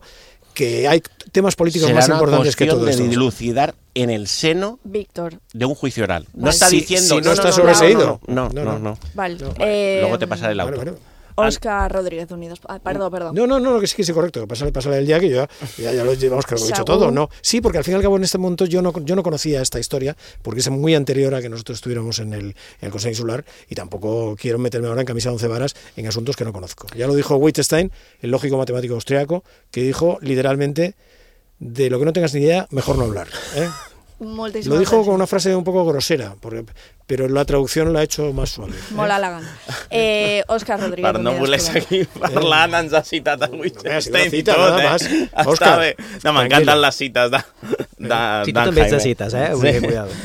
[SPEAKER 22] que hay temas políticos más importantes que todo esto.
[SPEAKER 1] Será una cuestión de dilucidar en el seno
[SPEAKER 5] Víctor.
[SPEAKER 1] de un juicio oral. No
[SPEAKER 5] vale.
[SPEAKER 1] está
[SPEAKER 22] si,
[SPEAKER 1] diciendo...
[SPEAKER 22] Si no,
[SPEAKER 1] no
[SPEAKER 22] está
[SPEAKER 1] no,
[SPEAKER 22] sobreseído.
[SPEAKER 1] No, no, no. no, no.
[SPEAKER 5] Vale.
[SPEAKER 1] No.
[SPEAKER 5] Eh,
[SPEAKER 1] Luego te pasaré el auto.
[SPEAKER 22] Bueno, bueno.
[SPEAKER 5] Óscar Rodríguez Unidos. Ah, perdón, perdón.
[SPEAKER 22] No, no, no, que sí, que sí, correcto. Pásale, pásale el día que yo ya, ya, ya lo llevamos, que lo he dicho todo. No, sí, porque al fin y al cabo en este momento yo no, yo no conocía esta historia, porque es muy anterior a que nosotros estuviéramos en el, en el Consejo Insular, y tampoco quiero meterme ahora en camisa de once varas en asuntos que no conozco. Ya lo dijo Wittgenstein, el lógico matemático austriaco, que dijo literalmente, de lo que no tengas ni idea, mejor no hablar. ¿eh? Lo dijo con una frase un poco grosera, porque, però la traducció l'ha hecho más suave. Eh?
[SPEAKER 5] Molt elegant. Eh, Òscar Rodríguez.
[SPEAKER 21] Per no voler seguir parlant, eh. ens ha citat a Wittgenstein i
[SPEAKER 22] cita,
[SPEAKER 21] tot,
[SPEAKER 22] eh?
[SPEAKER 21] Està
[SPEAKER 22] Òscar,
[SPEAKER 21] bé. No, m'encanten les cites de, de,
[SPEAKER 20] si tu també ets de cites, eh? Sí. Cuidado.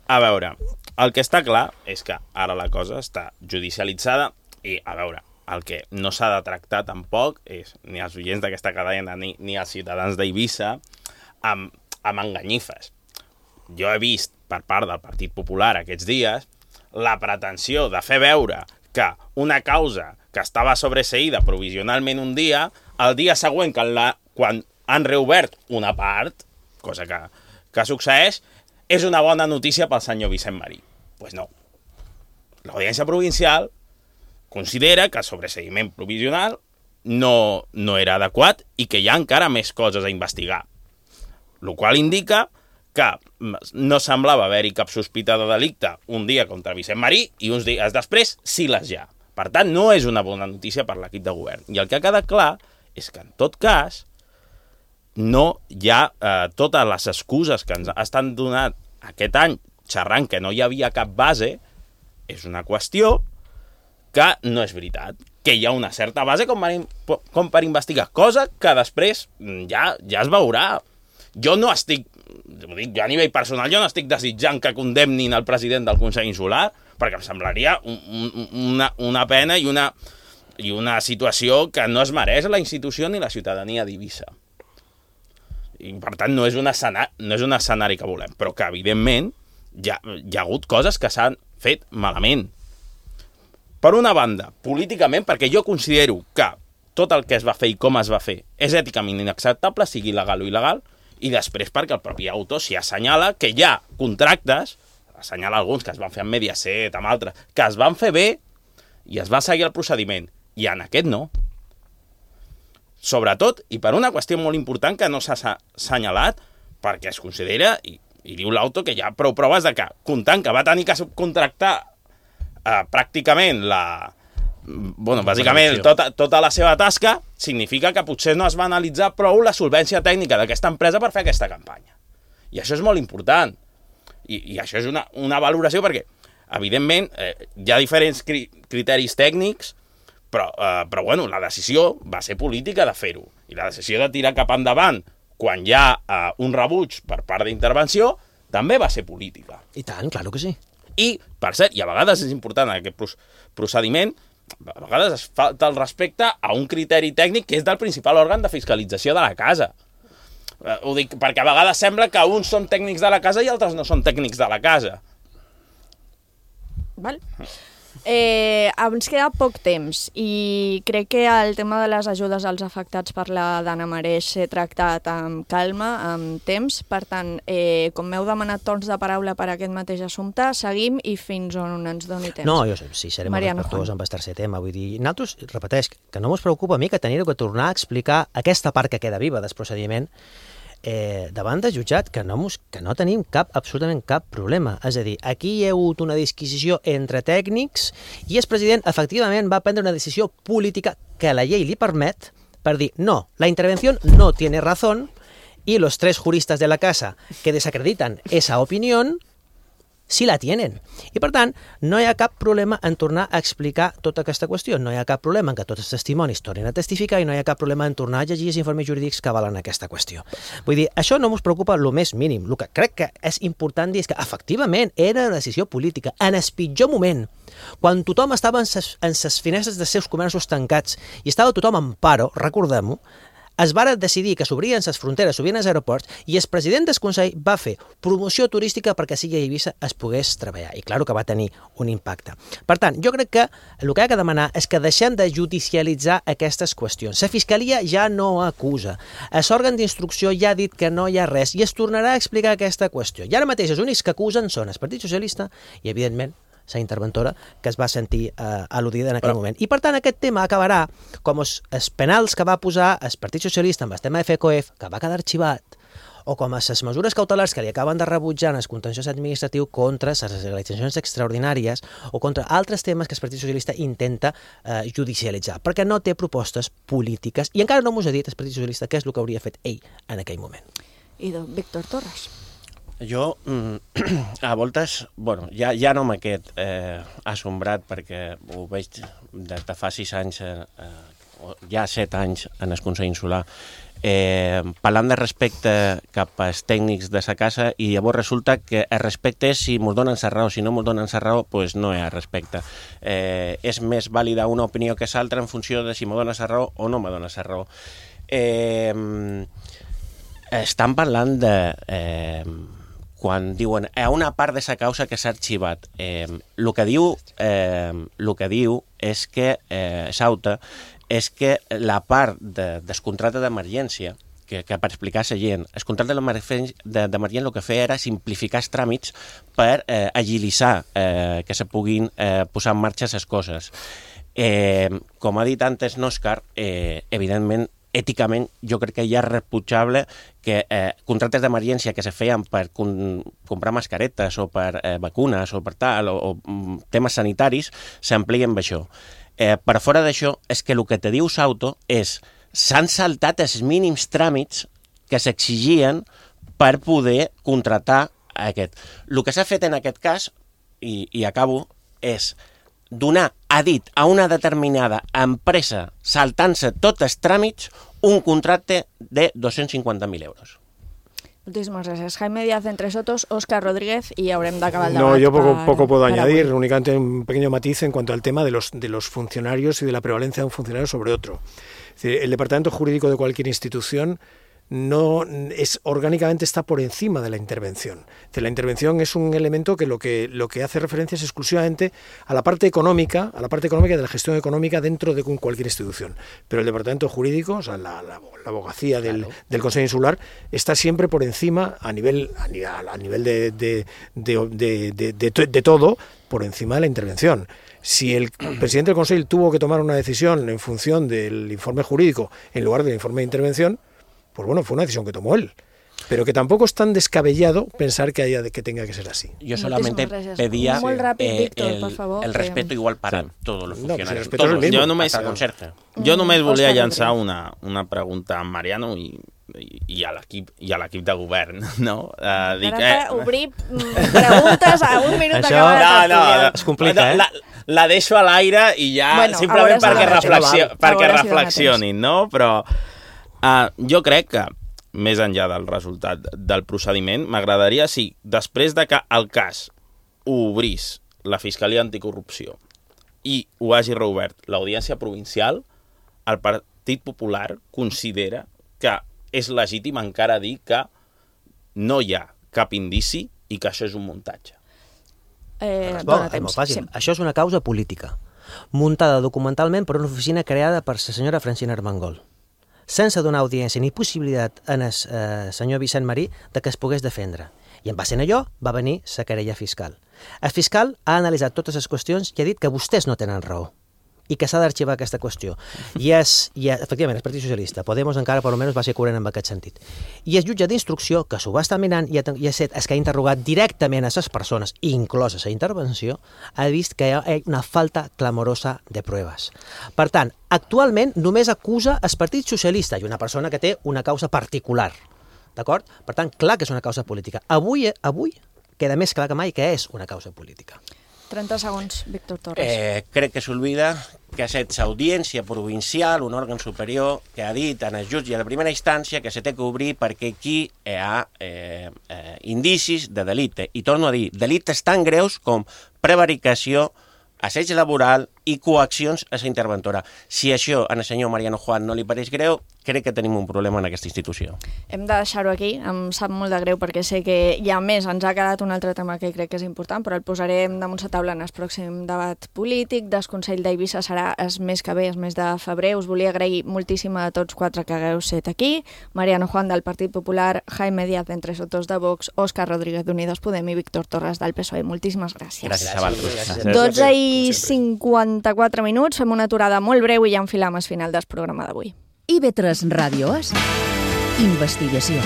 [SPEAKER 21] A veure, el que està clar és que ara la cosa està judicialitzada i, a veure, el que no s'ha de tractar tampoc és ni els oients d'aquesta cadena ni, ni els ciutadans d'Eivissa amb, amb enganyifes. Jo he vist per part del Partit Popular aquests dies la pretensió de fer veure que una causa que estava sobreseïda provisionalment un dia, el dia següent, que la, quan han reobert una part, cosa que, que succeeix, és una bona notícia pel senyor Vicent Marí. Doncs pues no. L'Audiència Provincial considera que el sobreseïment provisional no, no era adequat i que hi ha encara més coses a investigar. El qual indica que no semblava haver-hi cap sospita de delicte un dia contra Vicent Marí i uns dies després sí les hi ha. Per tant, no és una bona notícia per l'equip de govern. I el que ha quedat clar és que, en tot cas, no hi ha eh, totes les excuses que ens estan donant aquest any xerrant que no hi havia cap base, és una qüestió que no és veritat, que hi ha una certa base com per, com per investigar, cosa que després ja, ja es veurà. Jo no estic, ho dic, jo a nivell personal, jo no estic desitjant que condemnin el president del Consell Insular, perquè em semblaria un, un, una, una pena i una, i una situació que no es mereix la institució ni la ciutadania d'Eivissa. I, per tant, no és, un escenari, no és un escenari que volem, però que, evidentment, hi ha, hi ha hagut coses que s'han fet malament. Per una banda, políticament, perquè jo considero que tot el que es va fer i com es va fer és èticament inacceptable, sigui legal o il·legal, i després perquè el propi autor s'hi assenyala que hi ha contractes, assenyala alguns que es van fer amb Mediaset, amb altres, que es van fer bé i es va seguir el procediment, i en aquest no. Sobretot, i per una qüestió molt important que no s'ha assenyalat, perquè es considera, i, i diu l'autor, que hi ha prou proves de que, comptant que va tenir que subcontractar eh, pràcticament la... bueno, bàsicament tota, tota la seva tasca, significa que potser no es va analitzar prou la solvència tècnica d'aquesta empresa per fer aquesta campanya. I això és molt important. I, i això és una, una valoració perquè, evidentment, eh, hi ha diferents cri criteris tècnics, però, eh, però bueno, la decisió va ser política de fer-ho. I la decisió de tirar cap endavant quan hi ha eh, un rebuig per part d'intervenció també va ser política.
[SPEAKER 20] I tant, claro que sí.
[SPEAKER 5] I,
[SPEAKER 21] per cert, i a vegades és important aquest procediment, a vegades es falta el respecte a un criteri tècnic que és del principal òrgan de fiscalització de la casa. Eh, ho dic perquè a vegades sembla que uns són tècnics de la casa i altres no són tècnics de la casa.
[SPEAKER 5] Val. Eh, ens queda poc temps i crec que el tema de les ajudes als afectats per la Dana mereix ser tractat amb calma, amb temps. Per tant, eh, com m'heu demanat torns de paraula per aquest mateix assumpte, seguim i fins on ens doni temps.
[SPEAKER 20] No, jo sí, serem respectuós amb el tercer tema. Vull dir, nosaltres, repeteix, que no mos preocupa a mi que tenir que tornar a explicar aquesta part que queda viva del procediment Eh, davant de jutjat, que no, que no tenim cap, absolutament cap problema. És a dir, aquí hi ha hagut una disquisició entre tècnics i el president efectivament va prendre una decisió política que la llei li permet per dir, no, la intervenció no tiene razón y los tres juristas de la casa que desacreditan esa opinión sí la tienen. I, per tant, no hi ha cap problema en tornar a explicar tota aquesta qüestió. No hi ha cap problema en que tots els testimonis tornin a testificar i no hi ha cap problema en tornar a llegir els informes jurídics que avalen aquesta qüestió. Vull dir, això no ens preocupa el més mínim. El que crec que és important dir és que, efectivament, era una decisió política. En el pitjor moment, quan tothom estava en les finestres dels seus comerços tancats i estava tothom en paro, recordem-ho, es va decidir que s'obrien les fronteres, s'obrien els aeroports, i el president del Consell va fer promoció turística perquè sigui a Eivissa es pogués treballar. I clar que va tenir un impacte. Per tant, jo crec que el que ha de demanar és que deixem de judicialitzar aquestes qüestions. La Fiscalia ja no acusa. L'òrgan d'instrucció ja ha dit que no hi ha res i es tornarà a explicar aquesta qüestió. I ara mateix els únics que acusen són el Partit Socialista i, evidentment, la interventora que es va sentir eh, al·ludida en aquell Però... moment. I, per tant, aquest tema acabarà com els, els penals que va posar el Partit Socialista amb el tema de FECOEF, que va quedar arxivat, o com a les mesures cautelars que li acaben de rebutjar en el contenciós administratiu contra les legalitzacions extraordinàries o contra altres temes que el Partit Socialista intenta eh, judicialitzar, perquè no té propostes polítiques i encara no m'ho ha dit el Partit Socialista què és el que hauria fet ell en aquell moment.
[SPEAKER 5] I doncs, Víctor Torres.
[SPEAKER 1] Jo, a voltes, bueno, ja, ja no m'he quedat eh, assombrat perquè ho veig des de fa sis anys, eh, ja set anys en el Consell Insular, eh, parlant de respecte cap als tècnics de sa casa i llavors resulta que el respecte és si mos donen sa raó, si no mos donen sa raó, doncs no hi ha respecte. Eh, és més vàlida una opinió que l'altra en funció de si me dona sa raó o no me dona sa raó. Eh, estan parlant de... Eh, quan diuen a una part de sa causa que s'ha arxivat. Eh, el que diu, eh, el que diu és que eh, Sauta és que la part de, del contracte d'emergència, que, que per explicar a la gent, el contracte d'emergència el que feia era simplificar els tràmits per eh, agilitzar eh, que se puguin eh, posar en marxa les coses. Eh, com ha dit antes n'Òscar, eh, evidentment, èticament, jo crec que ja és rebutjable que eh, contractes d'emergència que se feien per com, comprar mascaretes o per eh, vacunes o per tal, o, o temes sanitaris, s'amplien amb això. Eh, per fora d'això, és que el que te diu Sauto és s'han saltat els mínims tràmits que s'exigien per poder contractar aquest. El que s'ha fet en aquest cas, i, i acabo, és donar a dit a una determinada empresa, saltant-se tots els tràmits, un contracte de dos-cents cinquanta mil euros.
[SPEAKER 5] Muchísimas gracias. Jaime Díaz entre Sotos, Óscar Rodríguez y haurem d'acabar el debat.
[SPEAKER 22] No, yo poco,
[SPEAKER 5] para,
[SPEAKER 22] poco puedo añadir,
[SPEAKER 5] hoy.
[SPEAKER 22] únicamente un pequeño matiz en cuanto al tema de los, de los funcionarios y de la prevalencia de un funcionario sobre otro. Es decir, el departamento jurídico de cualquier institución no es orgánicamente está por encima de la intervención. Es decir, la intervención es un elemento que lo que lo que hace referencia es exclusivamente a la parte económica, a la parte económica de la gestión económica dentro de cualquier institución. Pero el departamento jurídico, o sea, la, la, la abogacía del, claro. del Consejo Insular está siempre por encima a nivel a nivel, a nivel de, de, de, de, de, de, de todo, por encima de la intervención. Si el presidente del Consejo tuvo que tomar una decisión en función del informe jurídico en lugar del informe de intervención, pues bueno, fue una decisión que tomó él. Pero que tampoco es tan descabellado pensar que haya que tenga que ser así.
[SPEAKER 1] Yo solamente pedía
[SPEAKER 5] eh, Víctor,
[SPEAKER 1] el,
[SPEAKER 5] favor,
[SPEAKER 1] el respeto que... igual para sí. todos los funcionarios.
[SPEAKER 22] No, pues
[SPEAKER 1] todos,
[SPEAKER 22] jo
[SPEAKER 21] només, jo només volia llançar una, una pregunta a Mariano i, i, i a l'equip de govern, no? Uh,
[SPEAKER 5] dic, eh... obrir preguntes a un minut d'acabar
[SPEAKER 20] de tertúlia. No, no, es complica, eh?
[SPEAKER 21] La, la deixo a l'aire i ja, bueno, simplement perquè, reflexio, perquè reflexionin, no? Però uh, jo crec que més enllà del resultat del procediment, m'agradaria si després de que el cas ho obrís la Fiscalia Anticorrupció i ho hagi reobert l'Audiència Provincial, el Partit Popular considera que és legítim encara dir que no hi ha cap indici i que això és un muntatge.
[SPEAKER 5] Eh,
[SPEAKER 20] bon, és molt fàcil. Sí. Això és una causa política, muntada documentalment per una oficina creada per la senyora Francina Armengol, sense donar audiència ni possibilitat en el eh, senyor Vicent Marí de que es pogués defendre. I en base a allò va venir la querella fiscal. El fiscal ha analitzat totes les qüestions i ha dit que vostès no tenen raó i que s'ha d'arxivar aquesta qüestió. I és, i és, efectivament, el Partit Socialista, Podemos encara per almenys va ser coherent en aquest sentit. I el jutge d'instrucció, que s'ho va estar mirant i ha, i ha set, és que ha interrogat directament a les persones, inclosa la intervenció, ha vist que hi ha una falta clamorosa de proves. Per tant, actualment només acusa el Partit Socialista i una persona que té una causa particular. D'acord? Per tant, clar que és una causa política. Avui, avui queda més clar que mai que és una causa política.
[SPEAKER 5] trenta segons, Víctor Torres.
[SPEAKER 1] Eh, crec que s'olvida que és audiència provincial, un òrgan superior, que ha dit en el jutge de primera instància que se té que obrir perquè aquí hi ha eh, eh, indicis de delicte. I torno a dir, delictes tan greus com prevaricació, assetge laboral i coaccions a la interventora. Si això al senyor Mariano Juan no li pareix greu, crec que tenim un problema en aquesta institució.
[SPEAKER 5] Hem de deixar-ho aquí, em sap molt de greu perquè sé que hi ha més, ens ha quedat un altre tema que crec que és important, però el posarem damunt la taula en el pròxim debat polític. Del Consell d'Eivissa serà el mes que ve, el mes de febrer. Us volia agrair moltíssim a tots quatre que hagueu set aquí. Mariano Juan del Partit Popular, Jaime Díaz d'Entre Sotos de Vox, Òscar Rodríguez d'Unidos Podem i Víctor Torres del P S O E. Moltíssimes gràcies.
[SPEAKER 1] Gràcies a vosaltres.
[SPEAKER 5] dotze i cinquanta-quatre minuts, fem una aturada molt breu i ja enfilam al final del programa d'avui.
[SPEAKER 3] I B tres Ràdio és investigació.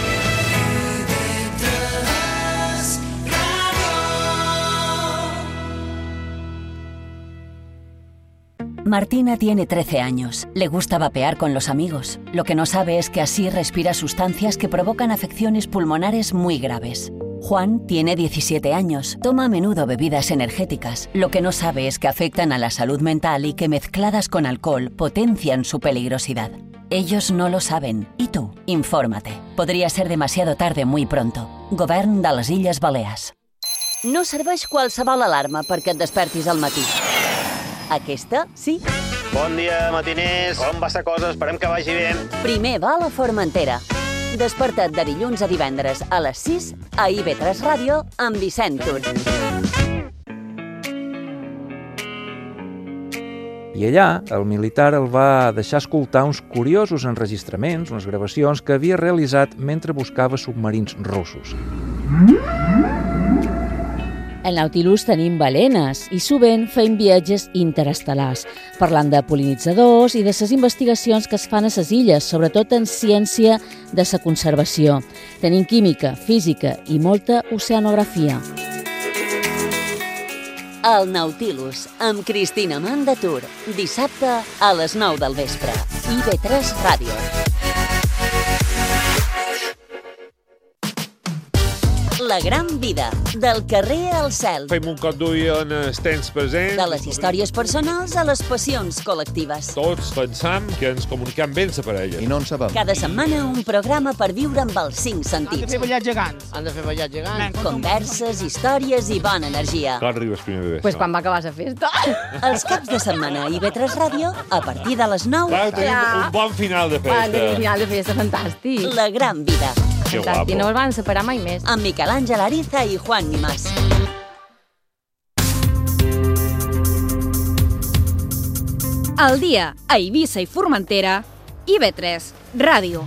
[SPEAKER 2] Martina tiene trece años. Le gusta vapear con los amigos. Lo que no sabe es que así respira sustancias que provocan afecciones pulmonares muy graves. Juan tiene diecisiete años. Toma a menudo bebidas energéticas. Lo que no sabe es que afectan a la salud mental y que mezcladas con alcohol potencian su peligrosidad. Ellos no lo saben. ¿Y tú? Infórmate. Podría ser demasiado tarde muy pronto. Govern de les Illes Balears.
[SPEAKER 17] No serveix qualsevol alarma perquè et despertis al matí. Aquesta, sí.
[SPEAKER 7] Bon dia, matiners. Com va la cosa? Esperem que vagi bé.
[SPEAKER 17] Primer va a la Formentera. Desperta't de dilluns a divendres a les sis a I B tres Ràdio amb Vicent Tur.
[SPEAKER 23] I allà, el militar el va deixar escoltar uns curiosos enregistraments, unes gravacions que havia realitzat mentre buscava submarins russos.
[SPEAKER 24] Al Nautilus tenim balenes i sovint feim viatges interestel·lars, parlant de pol·linitzadors i de les investigacions que es fan a les illes, sobretot en ciència de la conservació. Tenim química, física i molta oceanografia.
[SPEAKER 17] El Nautilus, amb Cristina Mandatur, dissabte a les nou del vespre. I B tres Ràdio. La gran vida, del carrer al cel.
[SPEAKER 25] Fem un cop d'ull en els temps presents.
[SPEAKER 17] De les històries personals a les passions col·lectives.
[SPEAKER 25] Tots pensam que ens comuniquem bé la parella.
[SPEAKER 23] I no en sabem.
[SPEAKER 17] Cada setmana un programa per viure amb els cinc sentits.
[SPEAKER 26] Han de fer ballar gegants.
[SPEAKER 27] Han de fer ballar gegants.
[SPEAKER 17] Converses, històries i bona energia.
[SPEAKER 25] Clar, arribes primer bebè.
[SPEAKER 24] Pues quan va acabar la festa.
[SPEAKER 17] Els caps de setmana a I B tres Ràdio, a partir de les nou.
[SPEAKER 25] Clar, tenim
[SPEAKER 24] Ja.
[SPEAKER 25] un bon final de festa.
[SPEAKER 24] Quan tenim un final de festa fantàstic.
[SPEAKER 17] La gran vida.
[SPEAKER 25] Que
[SPEAKER 24] Fantàstic, no
[SPEAKER 25] guapo.
[SPEAKER 24] el van separar mai més.
[SPEAKER 17] Amb Miquel Àngel Ariza i Juan Nimás.
[SPEAKER 4] Al dia a Eivissa i Formentera, I B tres Ràdio.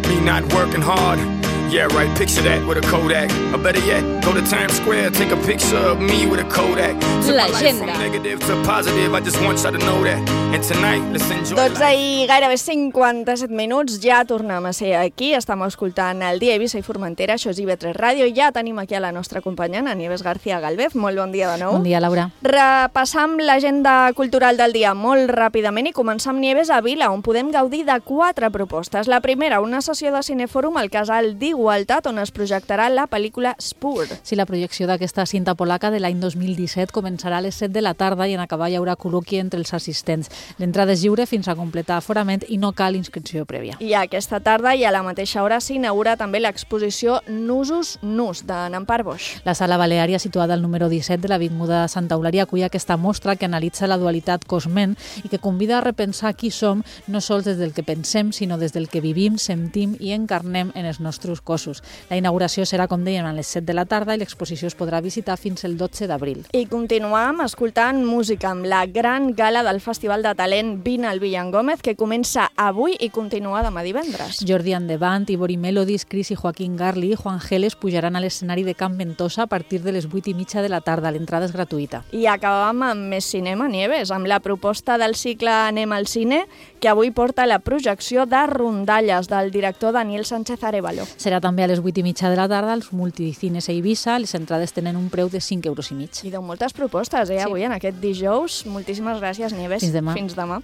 [SPEAKER 28] Me not working hard. Yeah, right, picture that with a Kodak. Or better yet, go to Times Square, take a picture of me with a Kodak. Took my life from
[SPEAKER 4] L'agenda.
[SPEAKER 28] negative to positive, I just want you to know that. And tonight, let's enjoy
[SPEAKER 5] dotze
[SPEAKER 28] life.
[SPEAKER 5] i gairebé cinquanta-set minuts, ja tornem a ser aquí, estem escoltant el dia Eivissa i Formentera, això és I B tres Ràdio, ja tenim aquí a la nostra companyana, Nieves García Galvez, molt bon dia de nou.
[SPEAKER 6] Bon dia, Laura.
[SPEAKER 5] Repassam l'agenda cultural del dia molt ràpidament i començam, Nieves, a Vila, on podem gaudir de quatre propostes. La primera, una sessió de cinefòrum al Casal d'Igualtat, on es projectarà la pel·lícula Spur.
[SPEAKER 6] Sí, la projecció d'aquesta cinta polaca de l'any dos mil disset començarà a les set de la tarda i en acabar hi haurà col·loqui entre els assistents. L'entrada és lliure fins a completar aforament i no cal inscripció prèvia.
[SPEAKER 5] I aquesta tarda i a la mateixa hora s'inaugura també l'exposició Nusos Nus, de Nampar Bosch.
[SPEAKER 6] La sala Baleària, situada al número disset de l'Avinguda Santa Eulària, acull aquesta mostra que analitza la dualitat cos-ment i que convida a repensar qui som no sols des del que pensem, sinó des del que vivim, sentim i encarnem en els nostres cossos. La inauguració serà, com dèiem, a les set de la tarda i l'exposició es podrà visitar fins el dotze d'abril.
[SPEAKER 5] I continuam escoltant música amb la gran gala del Festival de Talent Vine al Villan Gómez, que comença avui i continua demà divendres.
[SPEAKER 6] Jordi and the Band, Ivori Melodies, Cris i Joaquín Garli i Juan Geles pujaran a l'escenari de Camp Ventosa a partir de les vuit i mitja de la tarda. L'entrada és gratuïta.
[SPEAKER 5] I acabam amb més cinema, Nieves, amb la proposta del cicle Anem al cine, que avui porta la projecció de Rondalles, del director Daniel Sánchez Arévalo.
[SPEAKER 6] Serà Serà també a les vuit i mitja de la tarda als multicines a Eivissa. Les entrades tenen un preu de cinc euros i mig.
[SPEAKER 5] I deu moltes propostes, eh,
[SPEAKER 6] Sí.
[SPEAKER 5] avui en aquest dijous. Moltíssimes gràcies, Nieves.
[SPEAKER 6] Fins demà.
[SPEAKER 5] Fins demà.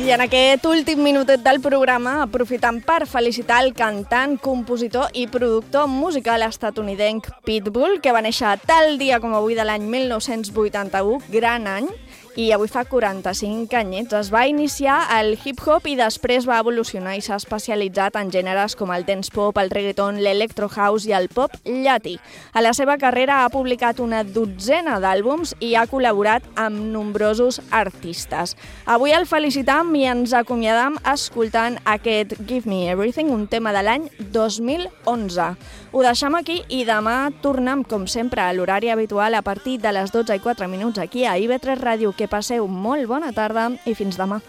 [SPEAKER 5] I en aquest últim minutet del programa, aprofitant per felicitar el cantant, compositor i productor musical estatunidenc Pitbull, que va néixer tal dia com avui de l'any mil nou-cents vuitanta-u, gran any, i avui fa quaranta-cinc anyets. Es va iniciar al hip-hop i després va evolucionar i s'ha especialitzat en gèneres com el dance pop, el reggaeton, l'electro house i el pop llatí. A la seva carrera ha publicat una dotzena d'àlbums i ha col·laborat amb nombrosos artistes. Avui el felicitam i ens acomiadam escoltant aquest Give Me Everything, un tema de l'any dos mil onze. Ho deixem aquí i demà tornem, com sempre, a l'horari habitual a partir de les dotze i quatre minuts aquí a I V tres Ràdio. Que passeu molt bona tarda i fins demà.